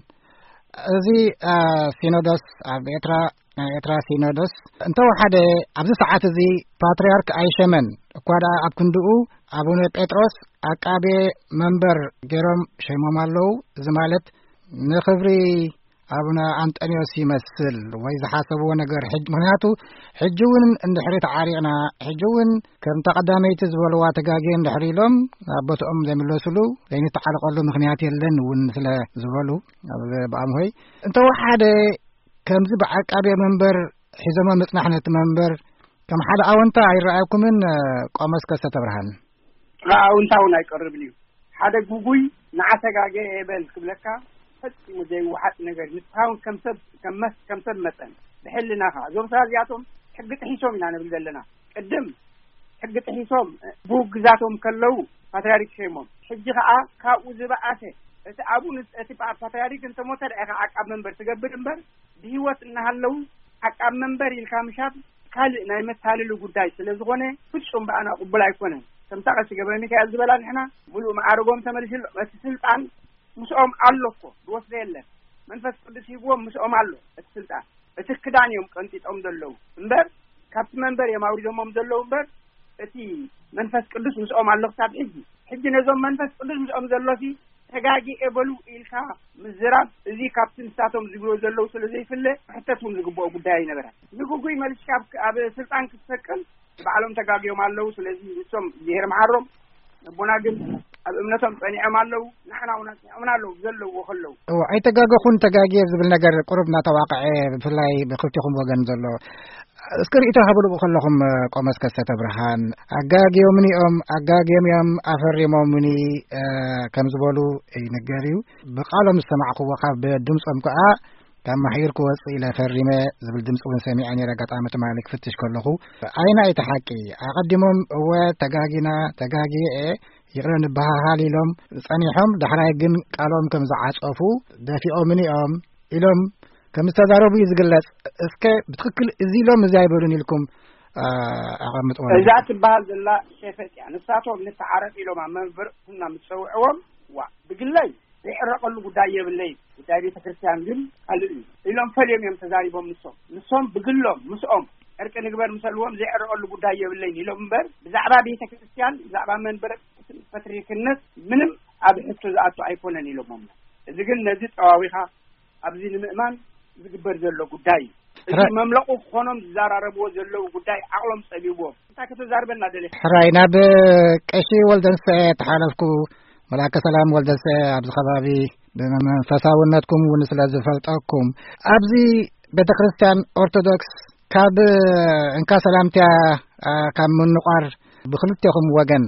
እዚ፣ አ፣ ሲኖዶስ ኣብ ኤርትራ፣ ናይ ኤርትራ ሲኖዶስ እንተወሓደ ኣብዚ ሰዓት እዚ ፓትርያርክ ኣይሸመን። እኳ ደኣ ኣብ ክንድኡ ኣቡነ ጴጥሮስ ዓቃቤ መንበር ገይሮም ሸይሞም ኣለዉ። እዚ ማለት ንኽብሪ ኣቡነ ኣንጠንዮስ ይመስል ወይ ዝሓሰብዎ ነገር ሕጅ-፣ ምኽንያቱ ሕጂ እውን እንድሕሪ ተዓሪቕና፣ ሕጂ እውን ከምታ ቀዳመይቲ ዝበልዋ ተጋግየ እንድሕሪ ኢሎም ናብ ቦትኦም ዘይምለሱሉ ዘይንተዓረቐሉ ምኽንያት የለን እውን ስለ ዝበሉ፣ ኣብ ብኣምሆይ እንተወሓደ ከምዚ ብዓቃቤ መንበር ሒዞሞ ምጽናሕ ነቲ መንበር ከም ሓደ ኣወንታ ኣይረኣየኩምን? ቆሞስ ከሰተ ብርሃን። ኣወንታ እውን ኣይቀርብን እዩ። ሓደ ጉጉይ ንዓተጋገ የበል ክብለካ ፈጺሙ ዘይወሓጥ ነገር። ንስኻ እውን ከም ሰብ፣ ከም መስ-፣ ከም ሰብ መጠን ብሕልናኻ፣ እዞም ሰባት እዚኣቶም ሕጊ ጥሒሶም ኢና ንብል ዘለና። ቅድም ሕጊ ጥሒሶም ብውግዛቶም ከለዉ ፓትርያርክ ሸይሞም። ሕጂ ኸኣ ካብኡ ዝበኣሰ፣ እቲ ኣቡን እቲ ፓ-፣ ፓትርያርክ እንተሞተ ደኣ ኢኻ ዓቃብ መንበር ትገብር እምበር፣ ብህይወት እናሃለዉ ዓቃብ መንበር ኢልካ ምሻብ ካልእ ናይ መታለሊ ጉዳይ ስለ ዝኾነ፣ ፍጹም ብኣና ቅቡል ኣይኮነን። ከምታ ቀሺ ገብረ ሚካኤል ዝበላ፣ ንሕና ምሉእ መዓርጎም ተመሊሱሎም፣ እቲ ስልጣን ምስኦም ኣሎ እኮ፣ ዝወስዶ የለን። መንፈስ ቅዱስ ሂብዎም ምስኦም ኣሎ እቲ ስልጣን። እቲ ክዳን እዮም ቀንጢጦም ዘለዉ እምበር፣ ካብቲ መንበር እዮም ኣውሪዶሞም ዘለዉ እምበር፣ እቲ መንፈስ ቅዱስ ምስኦም ኣሎ ክሳብ ሕጂ። ሕጂ ነዞም መንፈስ ቅዱስ ምስኦም ዘሎሲ ተጋጊኤ በሉ ኢልካ ምዝራብ፣ እዚ ካብቲ ንሳቶም ዝብልዎ ዘለዉ ስለ ዘይፍለ፣ ክሕተት እውን ዝግብኦ ጉዳይ ኣይነበረን። ንግጉይ መሊስካ ኣብ፣ ኣብ ስልጣን ክትሰቅል፣ ባዕሎም ተጋግዮም ኣለዉ። ስለዚ ንሶም እግዚኣብሔር መሓሮም፣ ነቦና ግን ኣብ እምነቶም ጸኒዖም ኣለዉ። ንሕና እውን ኣጽኒዖምና ኣለዉ፣ ዘለውዎ ከለዉ። እወ፣ ኣይተጋገኹን፣ ተጋግየ ዝብል ነገር ቁሩብ እናተዋቅዐ፣ ብፍላይ ብክልቲኹም ወገን ዘሎ። እስኪ ርእይቶ ሃብሉ ከለኹም፣ ቆሞስ ከሰተ ብርሃን፣ ኣጋግዮምኒ እዮም፣ ኣጋግዮም እዮም፣ ኣፈሪሞምኒ፣ እ፣ ከም ዝበሉ ይንገር እዩ። ብቃሎም ዝሰማዕክዎ፣ ካብ ድምጾም ከኣ ካብ ማሕዩር ክወጽእ ኢለ ፈሪመ ዝብል ድምጺ እውን ሰሚዐ ነይረ። ኣጋጣሚ ትማሊ ክፍትሽ ከለኹ፣ ኣይና እቲ ሓቂ? ኣቐዲሞም፣ "እወ፣ ተጋጊና፣ ተጋግየ እየ፣ ይቕረ ንበሃሃል" ኢሎም ጸኒሖም፣ ዳሕራይ ግን ቃሎም ከም ዝዓጸፉ፣ "ደፊኦምኒ እዮም" ኢሎም ከም ዝተዛረቡ እዩ ዝግለጽ። እስከ ብትኽክል እዚ ኢሎም እዚ ኣይበሉን ኢልኩም፣ አ፣ ኣቐምጥዎ። እዛ ትበሃል ዘላ ሸፈጥ እያ። ንሳቶም ንተዓረቕ ኢሎም ኣብ መንበር ኩና ምስ ጸውዕዎም፣ ዋ፣ ብግለይ ዘይዕረቐሉ ጉዳይ የብለይን፣ ጉዳይ ቤተ ክርስቲያን ግን ካልእ እዩ ኢሎም ፈልዮም እዮም ተዛሪቦም። ንሶም፣ ንሶም ብግሎም ምስኦም ዕርቂ ንግበር ምሰልዎም ዘይዕረቐሉ ጉዳይ የብለይን ኢሎም እምበር፣ ብዛዕባ ቤተ ክርስቲያን፣ ብዛዕባ መንበረ ፓትርያርክነት ምንም ኣብ ሕቶ ዝኣቱ ኣይኮነን ኢሎሞም። እዚ ግን ነዚ ጠዋዊኻ ኣብዚ ንምእማን ዝግበር ዘሎ ጉዳይ እዩ። እዚ ረ- መምለቑ ክኾኖም ዝዘራረብዎ ዘለዉ ጉዳይ ዓቕሎም ጸቢብዎም። እንታይ ከተዛርበና ደሊኻ? ሕራይ፣ ናብ ቀሺ ወልደንስኤ ተሓለፍኩ። መልኣከ ሰላም ወልደንስኤ ኣብዚ ከባቢ ብመንፈሳውነትኩም እውን ስለ ዝፈልጠኩም፣ ኣብዚ ቤተ ክርስቲያን ኦርቶዶክስ ካብ እንካ ሰላምታ፣ አ፣ ካብ ምንቋር ብክልቴኹም ወገን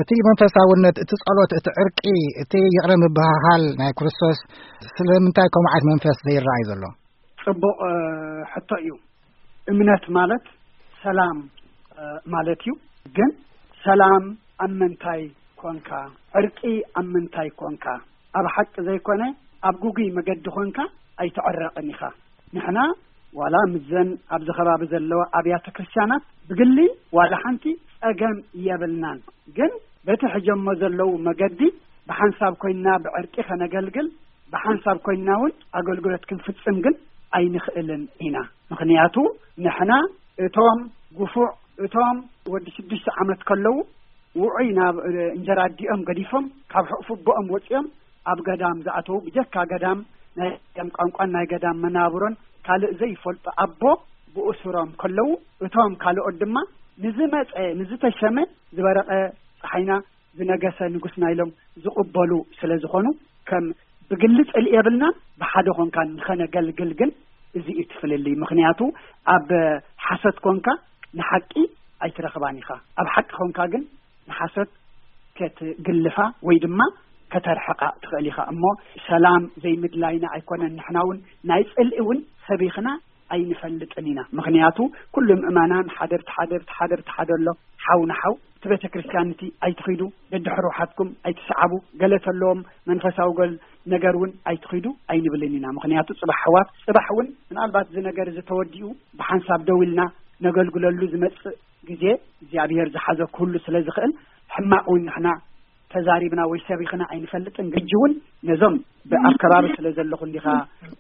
እቲ መንፈሳውነት፣ እቲ ጸሎት፣ እቲ ዕርቂ፣ እቲ ይቕረ ምብህሃል ናይ ክርስቶስ ስለምንታይ ከምኡ ዓይነት መንፈስ ዘይረኣይ ዘሎ? ጽቡቕ፣ እ፣ ሕቶ እዩ። እምነት ማለት ሰላም፣ እ፣ ማለት እዩ። ግን ሰላም ኣብ ምንታይ ኮንካ፣ ዕርቂ ኣብ ምንታይ ኮንካ፣ ኣብ ሓቂ ዘይኮነ ኣብ ጉጉይ መገዲ ኮንካ ኣይትዕረቕን ኢኻ። ንሕና ዋላ ምስዘን ኣብዚ ከባቢ ዘለዋ ኣብያተ ክርስቲያናት ብግሊ ዋላ ሓንቲ ጸገም የብልናን። ግን በቲ ሕጀሞ ዘለዉ መገዲ ብሓንሳብ ኮይንና ብዕርቂ ከነገልግል፣ ብሓንሳብ ኮይንና እውን ኣገልግሎት ክንፍጽም ግን ኣይንኽእልን ኢና። ምኽንያቱ ንሕና እቶም ግፉዕ፣ እቶም ወዲ ሽዱሽተ ዓመት ከለዉ ውዑይ ናብ፣ እ፣ እንጀራ ኣዲኦም ገዲፎም፣ ካብ ሕቑፊ ኣቦኦም ወጺኦም ኣብ ገዳም ዝኣተዉ፣ ብጀካ ገዳም ናይ ገዳም ቋንቋን ናይ ገዳም መናብሮን ካልእ ዘይፈልጡ ኣቦ ብእሱሮም ከለዉ፣ እቶም ካልኦት ድማ ንዝመጸ፣ ንዝተሸመ ዝበረቐ ጸሓይና ዝነገሰ ንጉስና ኢሎም ዝቕበሉ ስለ ዝኾኑ፣ ከም ብግሊ ጽልኢ የብልናን። ብሓደ ኮንካ ንኸነገልግል ግን እዚ እዩ እቲ ፍልልይ። ምኽንያቱ ኣብ ሓሶት ኮንካ ንሓቂ ኣይትረኽባን ኢኻ። ኣብ ሓቂ ኮንካ ግን ንሓሶት ከትግልፋ ወይ ድማ ከተርሕቓ ትኽእል ኢኻ። እሞ ሰላም ዘይምድላይና ኣይኮነን። ንሕና እውን ናይ ጽልኢ እውን ሰቢኽና ኣይንፈልጥን ኢና። ምኽንያቱ ኩሉ ምእመናን ሓደ ብቲ ሓደ፣ ብቲ ሓደ ብቲ ሓደ ኣሎ። ሓው ንሓው፣ እቲ ቤተ ክርስቲያን እቲ ኣይትኺዱ፣ ደድሕሪ ውሓትኩም ኣይትስዓቡ፣ ገለ ተለዎም መንፈሳዊ ገል ነገር እውን ኣይትኺዱ ኣይንብልን ኢና። ምኽንያቱ ጽባሕ ኣሕዋት፣ ጽባሕ እውን ምናልባት እዚ ነገር እዚ ተወዲኡ ብሓንሳብ ደው ኢልና ነገልግለሉ ዝመጽእ ግዜ እግዚኣብሔር ዝሓዘ ክህሉ ስለ ዝኽእል፣ ሕማቕ እውን ንሕና ተዛሪብና ወይ ሰቢኽና ኣይንፈልጥን። ግጂ እውን ነዞም ብ-፣ ኣብ ከባቢ ስለ ዘለኹ እንዲኻ፣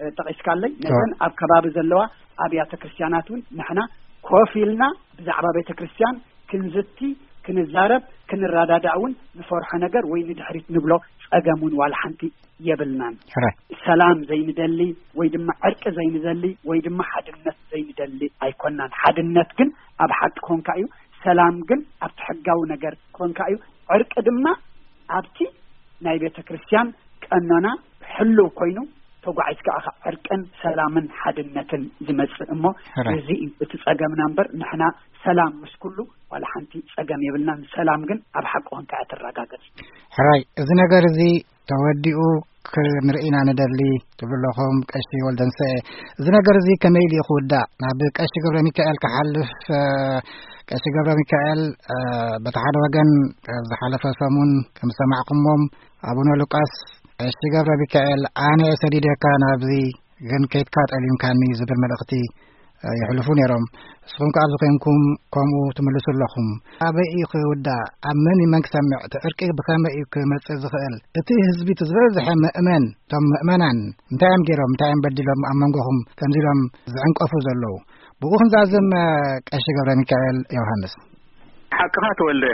እ፣ ጠቒስካለይ፣ ነዘን ኣብ ከባቢ ዘለዋ ኣብያተ ክርስቲያናት እውን ንሕና ኮፍ ኢልና ብዛዕባ ቤተ ክርስቲያን ክንዝቲ፣ ክንዛረብ፣ ክንረዳዳእ እውን ንፈርሖ ነገር ወይ ንድሕሪት ንብሎ ጸገም እውን ዋላ ሓንቲ የብልናን። ሕራይ። ሰላም ዘይንደሊ ወይ ድማ ዕርቂ ዘይንደሊ ወይ ድማ ሓድነት ዘይንደሊ ኣይኮናን። ሓድነት ግን ኣብ ሓቂ ኮንካ እዩ። ሰላም ግን ኣብቲ ሕጋዊ ነገር ኮንካ እዩ። ዕርቂ ድማ ኣብቲ ናይ ቤተ ክርስቲያን ቀኖና ሕልው ኮይኑ ተጓዒዝካ ኢኻ ዕርቅን ሰላምን ሓድነትን ዝመጽእ። እሞ ሕራይ። እዚ እዩ እቲ ጸገምና እምበር ንሕና ሰላም ምስ ኩሉ ዋላ ሓንቲ ጸገም የብልናን። ሰላም ግን ኣብ ሓቂ ኮንካ እያ ትረጋገጽ። ሕራይ፣ እዚ ነገር እዚ ተወዲኡ ክንርኢ ኢና ንደሊ ትብሉ ኣለኹም ቀሺ ወልደንስኤ። እዚ ነገር እዚ ከመይ ኢሉ እዩ ክውዳእ? ናብ ቀሺ ገብረ ሚካኤል ክሓልፍ፣ እ፣ ቀሺ ገብረ ሚካኤል፣ እ፣ በቲ ሓደ ወገን፣ እ፣ ዝሓለፈ ሰሙን ከም ዝሰማዕኩሞም ኣቡነ ሉቃስ፣ ቀሺ ገብረ ሚካኤል ኣነ እየ ሰዲደካ ናብዚ ግን ከይድካ ጠሊምካኒ ዝብል መልእኽቲ፣ እ፣ የሕልፉ ነይሮም። ንስኹም ከኣ ኣብዚ ኮይንኩም ከምኡ ትምልሱ ኣለኹም። ኣበይ እዩ ክውዳእ? ኣብ መን እዩ መን ክሰምዕ? እቲ ዕርቂ ብኸመይ እዩ ክመጽእ ዝኽእል? እቲ ህዝቢ፣ እቲ ዝበዝሐ ምእመን፣ እቶም ምእመናን እንታይ እዮም ገይሮም? እንታይ እዮም በዲሎም ኣብ መንጎኹም ከምዚ ኢሎም ዝዕንቀፉ ዘለዉ? ብኡ ክንዛዝም፣ እ፣ ቀሺ ገብረ ሚካኤል ዮሃንስ። ሓቅኻ ተወልደ፣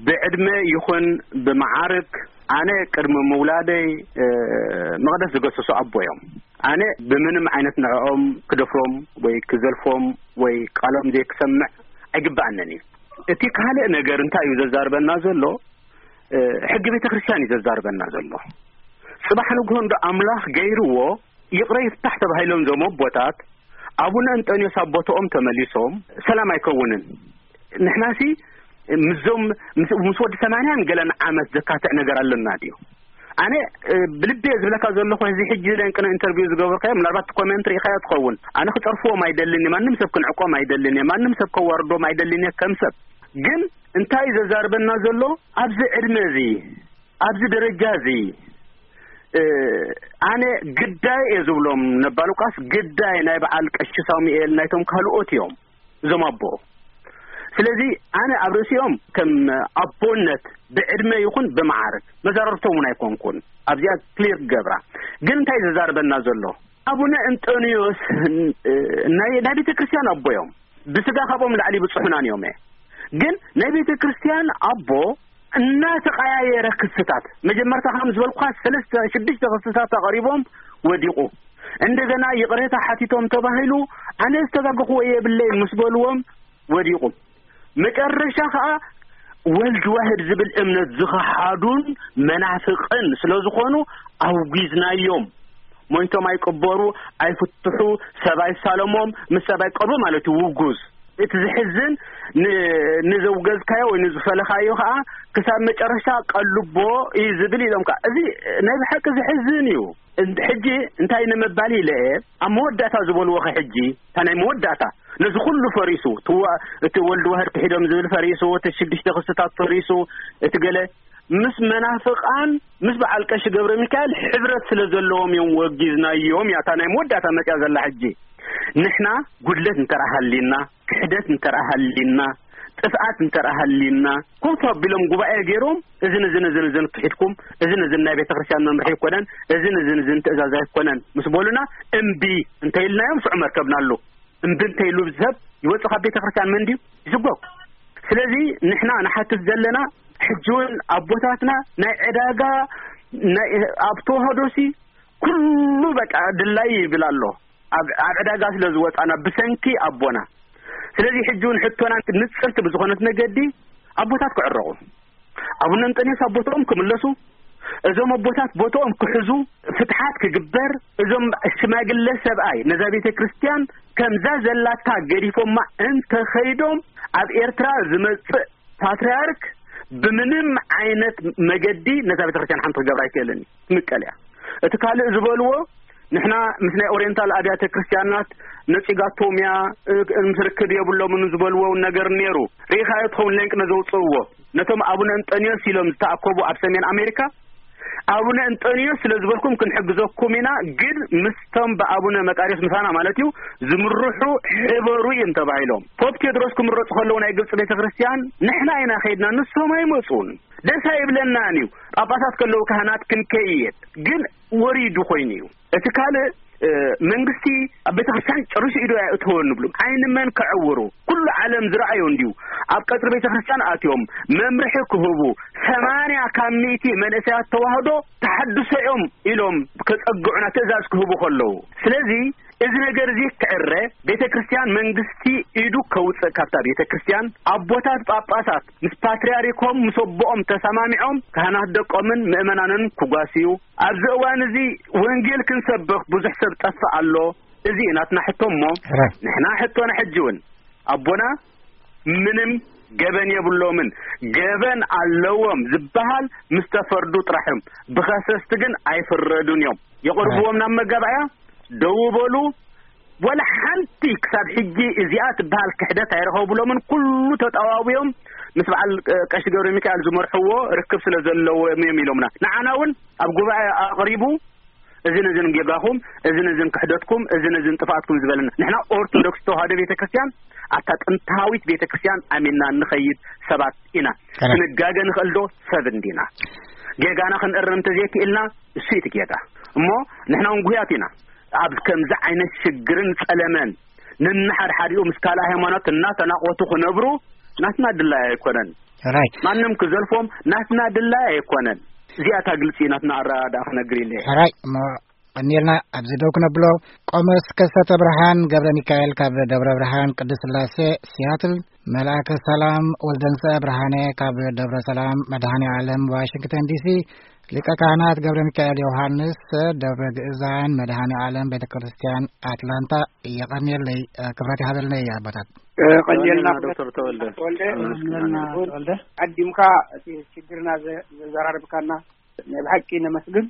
ብዕድመ ይኹን ብመዓርግ ኣነ ቅድሚ ምውላደይ፣ እ፣ መቕደስ ዝገሰሱ ኣቦ እዮም። ኣነ ብምንም ዓይነት ንዕኦም ክደፍሮም ወይ ክዘልፎም ወይ ቃሎም ዘይክሰምዕ ኣይግብኣንን እዩ። እቲ ካልእ ነገር እንታይ እዩ ዘዛርበና ዘሎ? እ፣ ሕጊ ቤተ ክርስቲያን እዩ ዘዛርበና ዘሎ። ጽባሕ ንግሆ እንዶ ኣምላኽ ገይርዎ ይቕረ ይፍታሕ ተባሂሎም እዞም ኣቦታት ኣቡነ እንጠንዮስ ኣብ ቦታኦም ተመሊሶም ሰላም ኣይከውንን። ንሕናሲ ምስዞም ምስ፣ ምስ ወዲ ሰማንያን ገለን ዓመት ዘካትዕ ነገር ኣለና ድዩ? ኣነ፣ እ፣ ብልቤ ዝብለካ ዘለኹ፣ እዚ ሕጂ ናይ ቅነ ኢንተርቪው ዝገበርካዮ፣ ምናልባት እቲ ኮሜንት ርኢኻዮ ትኸውን። ኣነ ክጸርፍዎም ኣይደልን እየ፣ ማንም ሰብ ክንዕቆም ኣይደልን እየ፣ ማንም ሰብ ከዋርዶም ኣይደልን እየ ከም ሰብ። ግን እንታይ እዩ ዘዛርበና ዘሎ? ኣብዚ ዕድመ እዚ፣ ኣብዚ ደረጃ እዚ፣ እ፣ ኣነ ግዳይ እየ ዝብሎም ነባ ሉቃስ፣ ግዳይ ናይ በዓል ቀሺ ሳሙኤል፣ ናይቶም ካልኦት እዮም እዞም ኣቦ። ስለዚ ኣነ ኣብ ርእሲኦም ከም ኣቦነት ብዕድመ ይኹን ብመዓርግ መዛረብቶም እውን ኣይኮንኩን። ኣብዚኣ ክሊር ክገብራ። ግን እንታይ ዘዛርበና ዘሎ? ኣቡነ እንጦንዮስ፣ እ፣ ናይ፣ ናይ ቤተ ክርስቲያን ኣቦ እዮም። ብስጋ ካብኦም ላዕሊ ብጽሑናን እዮም። ግን ናይ ቤተ ክርስቲያን ኣቦ እናተቐያየረ ክስታት፣ መጀመርታ ከም ዝበልኩኻ ሰለስተ፣ ሽዱሽተ ክስታት ኣቕሪቦም ወዲቑ። እንደገና ይቕሬታ ሓቲቶም ተባሂሉ፣ ኣነ ዝተጋገኽዎ የብለይ ምስ በልዎም ወዲቑ። መጨረሻ ኸኣ ወልድ ዋህድ ዝብል እምነት ዝኸሓዱን መናፍቕን ስለ ዝኾኑ ኣውጊዝናዮም። ሞይቶም ኣይቅበሩ፣ ኣይፍትሑ፣ ሰብ ኣይሳለሞም፣ ምስ ሰብ ኣይቀርቡ ማለት እዩ ውጉዝ። እቲ ዝሕዝን ን-፣ ንዘውገዝካዮ ወይ ንዝፈለኻዮ ኸዓ ክሳብ መጨረሻ ቀልቦ እዩ ዝብል ኢሎም ከዓ። እዚ ናይ ብሓቂ ዝሕዝን እዩ። እን-፣ ሕጂ እንታይ ንምባል ኢለ እየ፣ ኣብ መወዳእታ ዝበልዎ ኸ ሕጂ፣ እታ ናይ መወዳእታ ነዚ ኩሉ ፈሪሱ፣ እቲ ወ-፣ እቲ ወልድ ዋህድ ክሒዶም ዝብል ፈሪሱ፣ እቲ ሽዱሽተ ክስታት ፈሪሱ፣ እቲ ገለ ምስ መናፍቃን፣ ምስ በዓል ቀሺ ገብረ ሚካኤል ሕብረት ስለ ዘለዎም እዮም ወጊዝናዮም እያ እታ ናይ መወዳእታ መጽያ ዘላ። ሕጂ ንሕና ጉድለት እንተረኣ ሃሊና፣ ክሕደት እንተረኣ ሃሊና፣ ጥፍኣት እንተረኣ ሃሊና፣ ኮፍ ኣቢሎም ጉባኤ ገይሮም፣ እዝን እዝን እዝን እዝን ክሒድኩም፣ እዝን እዝን ናይ ቤተ ክርስቲያን መምርሒ ኣይኮነን፣ እዝን እዝን እዝን ትእዛዝ ኣይኮነን ምስ በሉና፣ እምቢ እንተኢልናዮም ሽዑ መርከብና ኣሎ። እምቢ እንተኢሉ ሰብ ይወጽእ ካብ ቤተ ክርስቲያን፣ መን ድዩ ይስጎግ? ስለዚ ንሕና ንሓትት ዘለና ሕጂ እውን ኣቦታትና ናይ ዕዳጋ ናይ ኣብ ተዋህዶሲ ኩሉ በቃ ድላይ ይብል ኣሎ። ኣብ፣ ኣብ ዕዳጋ ስለ ዝወጻና ብሰንኪ ኣቦና። ስለዚ ሕጂ እውን ሕቶና ንጽርቲ ብዝኾነት መገዲ ኣቦታት ክዕረቑ፣ ኣቡነ እንጠንዮስ ኣብ ቦታኦም ክምለሱ፣ እዞም ኣቦታት ቦታኦም ክሕዙ፣ ፍትሓት ክግበር፣ እዞም ሽማግለ ሰብኣይ ነዛ ቤተ ክርስቲያን ከምዛ ዘላታ ገዲፎማ እንተኸይዶም ኣብ ኤርትራ ዝመጽእ ፓትርያርክ ብምንም ዓይነት መገዲ ነዛ ቤተ ክርስቲያን ሓንቲ ክገብር ኣይክእልን እዩ። ትምቀል እያ። እቲ ካልእ ዝበልዎ ንሕና ምስ ናይ ኦሪየንታል ኣብያተ ክርስቲያናት ነጺጋቶም እያ፣ እ-፣ ምስ ርክብ የብሎምን ዝበልዎ እውን ነገር ነይሩ። ርኢኻዮ ትኸውን ሌንቅ ነዘውጽእዎ ነቶም ኣቡነ እንጠንዮስ ኢሎም ዝተኣከቡ ኣብ ሰሜን ኣሜሪካ፣ ኣቡነ እንጠንዮስ ስለ ዝበልኩም ክንሕግዘኩም ኢና፣ ግን ምስቶም ብኣቡነ መቃርዮስ ምሳና ማለት እዩ ዝምርሑ ሕበሩ እዮም ተባሂሎም። ፖፕ ቴድሮስ ክምረጹ ከለዉ ናይ ግብጺ ቤተ ክርስቲያን ንሕና ኢና ከይድና፣ ንሶም ኣይመጹን። ደስ ኣይብለናን እዩ። ጳጳሳት ከለዉ ካህናት ክንከይድ፣ ግን ወሪዱ ኮይኑ እዩ። እቲ ካልእ፣ እ፣ መንግስቲ ኣብ ቤተ ክርስቲያን ጨሪሱ ኢዱ ኣየእተወን ንብሉ። ዓይኒ መን ከዕውሩ? ኩሉ ዓለም ዝረኣዮ እንድዩ። ኣብ ቀጽሪ ቤተ ክርስቲያን ኣትዮም መምርሒ ክህቡ፣ ሰማንያ ካብ ሚእቲ መንእሰያት ተዋህዶ ተሓድሶ እዮም ኢሎም ከጸግዑና ትእዛዝ ክህቡ ከለዉ። ስለዚ እዚ ነገር እዚ ክዕረ ቤተ ክርስቲያን መንግስቲ ኢዱ ከውጽእ ካብታ ቤተ ክርስቲያን፣ ኣቦታት ጳጳሳት ምስ ፓትርያርኮም ምስ ኣቦኦም ተሰማሚዖም ካህናት ደቆምን ምእመናንን ክጓስዩ፣ ኣብዚ እዋን እዚ ወንጌል ክንሰብኽ ብዙሕ ሰብ ጠፍእ ኣሎ። እዚ እዩ ናትና ሕቶ እሞ፣ ሕራይ። ንሕና ሕቶና ሕጂ እውን ኣቦና ምንም ገበን የብሎምን። ገበን ኣለዎም ዝበሃል ምስ ተፈርዱ ጥራሕ እዮም። ብኸሰስቲ ግን ኣይፍረዱን እዮም። የቕርብዎም ናብ መጋባእያ፣ ደው በሉ። ወላ ሓንቲ ክሳብ ሕጂ እዚኣ ትበሃል ክሕደት ኣይረኸብሎምን። ኩሉ ተጠዋውዮም ምስ በዓል፣ እ፣ ቀሺ ገብረ ሚካኤል ዝመርሕዎ ርክብ ስለ ዘለዎም እዮም ኢሎምና። ንዓና እውን ኣብ ጉባኤ ኣቕሪቡ፣ እዝን እዝን ጌጋኹም፣ እዝን እዝን ክሕደትኩም፣ እዝን እዝን ጥፍኣትኩም ዝበለና። ንሕና ኦርቶዶክስ ተዋህዶ ቤተክርስትያን፣ ኣብታ ጥንታዊት ቤተክርስትያን ኣሚንና እንኸይድ ሰባት ኢና። ከመይ? ክንጋገ ንኽእል ዶ? ሰብ እንዲና። ጌጋና ክንእርም እንተዘይክኢልና፣ እሱ እዩ እቲ ጌጋ። እሞ ንሕና እውን ጉህያት ኢና። ኣብ ከምዚ ዓይነት ሽግርን ጸለመን፣ ነንሓድሓዲኡ ምስ ካልእ ሃይማኖት እናተናቖቱ ክነብሩ ናትና ድላይ ኣይኮነን። ሕራይ። ማንም ክዘልፎም ናትና ድላይ ኣይኮነን። እዚኣ እታ ግልጺ ናትና ኣረዳድኣ ክነግር ኢለ እየ። ሕራይ። እሞ ቀኒልና ኣብዚ ደው ክነብሎ። ቆሞስ ከሰተ ብርሃን ገብረ ሚካኤል ካብ ደብረ ብርሃን ቅድስት ስላሴ ሲያትል፣ መልኣከ ሰላም ወልደንሰ ብርሃነ ካብ ደብረ ሰላም መድኃኔ ዓለም ዋሽንግተን ዲሲ፣ ሊቀ ካህናት ገብረ ሚካኤል ዮሃንስ ደብረ ግእዛን መድኃኔ ዓለም ቤተ ክርስቲያን ኣትላንታ። የቐንየለይ፣ ክብረት ይሃበልና ኣቦታት። ቀንየልና ዶክተር ተወልደ። ተወልደ። ቀንየልና ተወልደ። ቀዲምካ እቲ ችግርና ዘ-፣ ዘዘራርብካና ናይ ብሓቂ ነመስግን።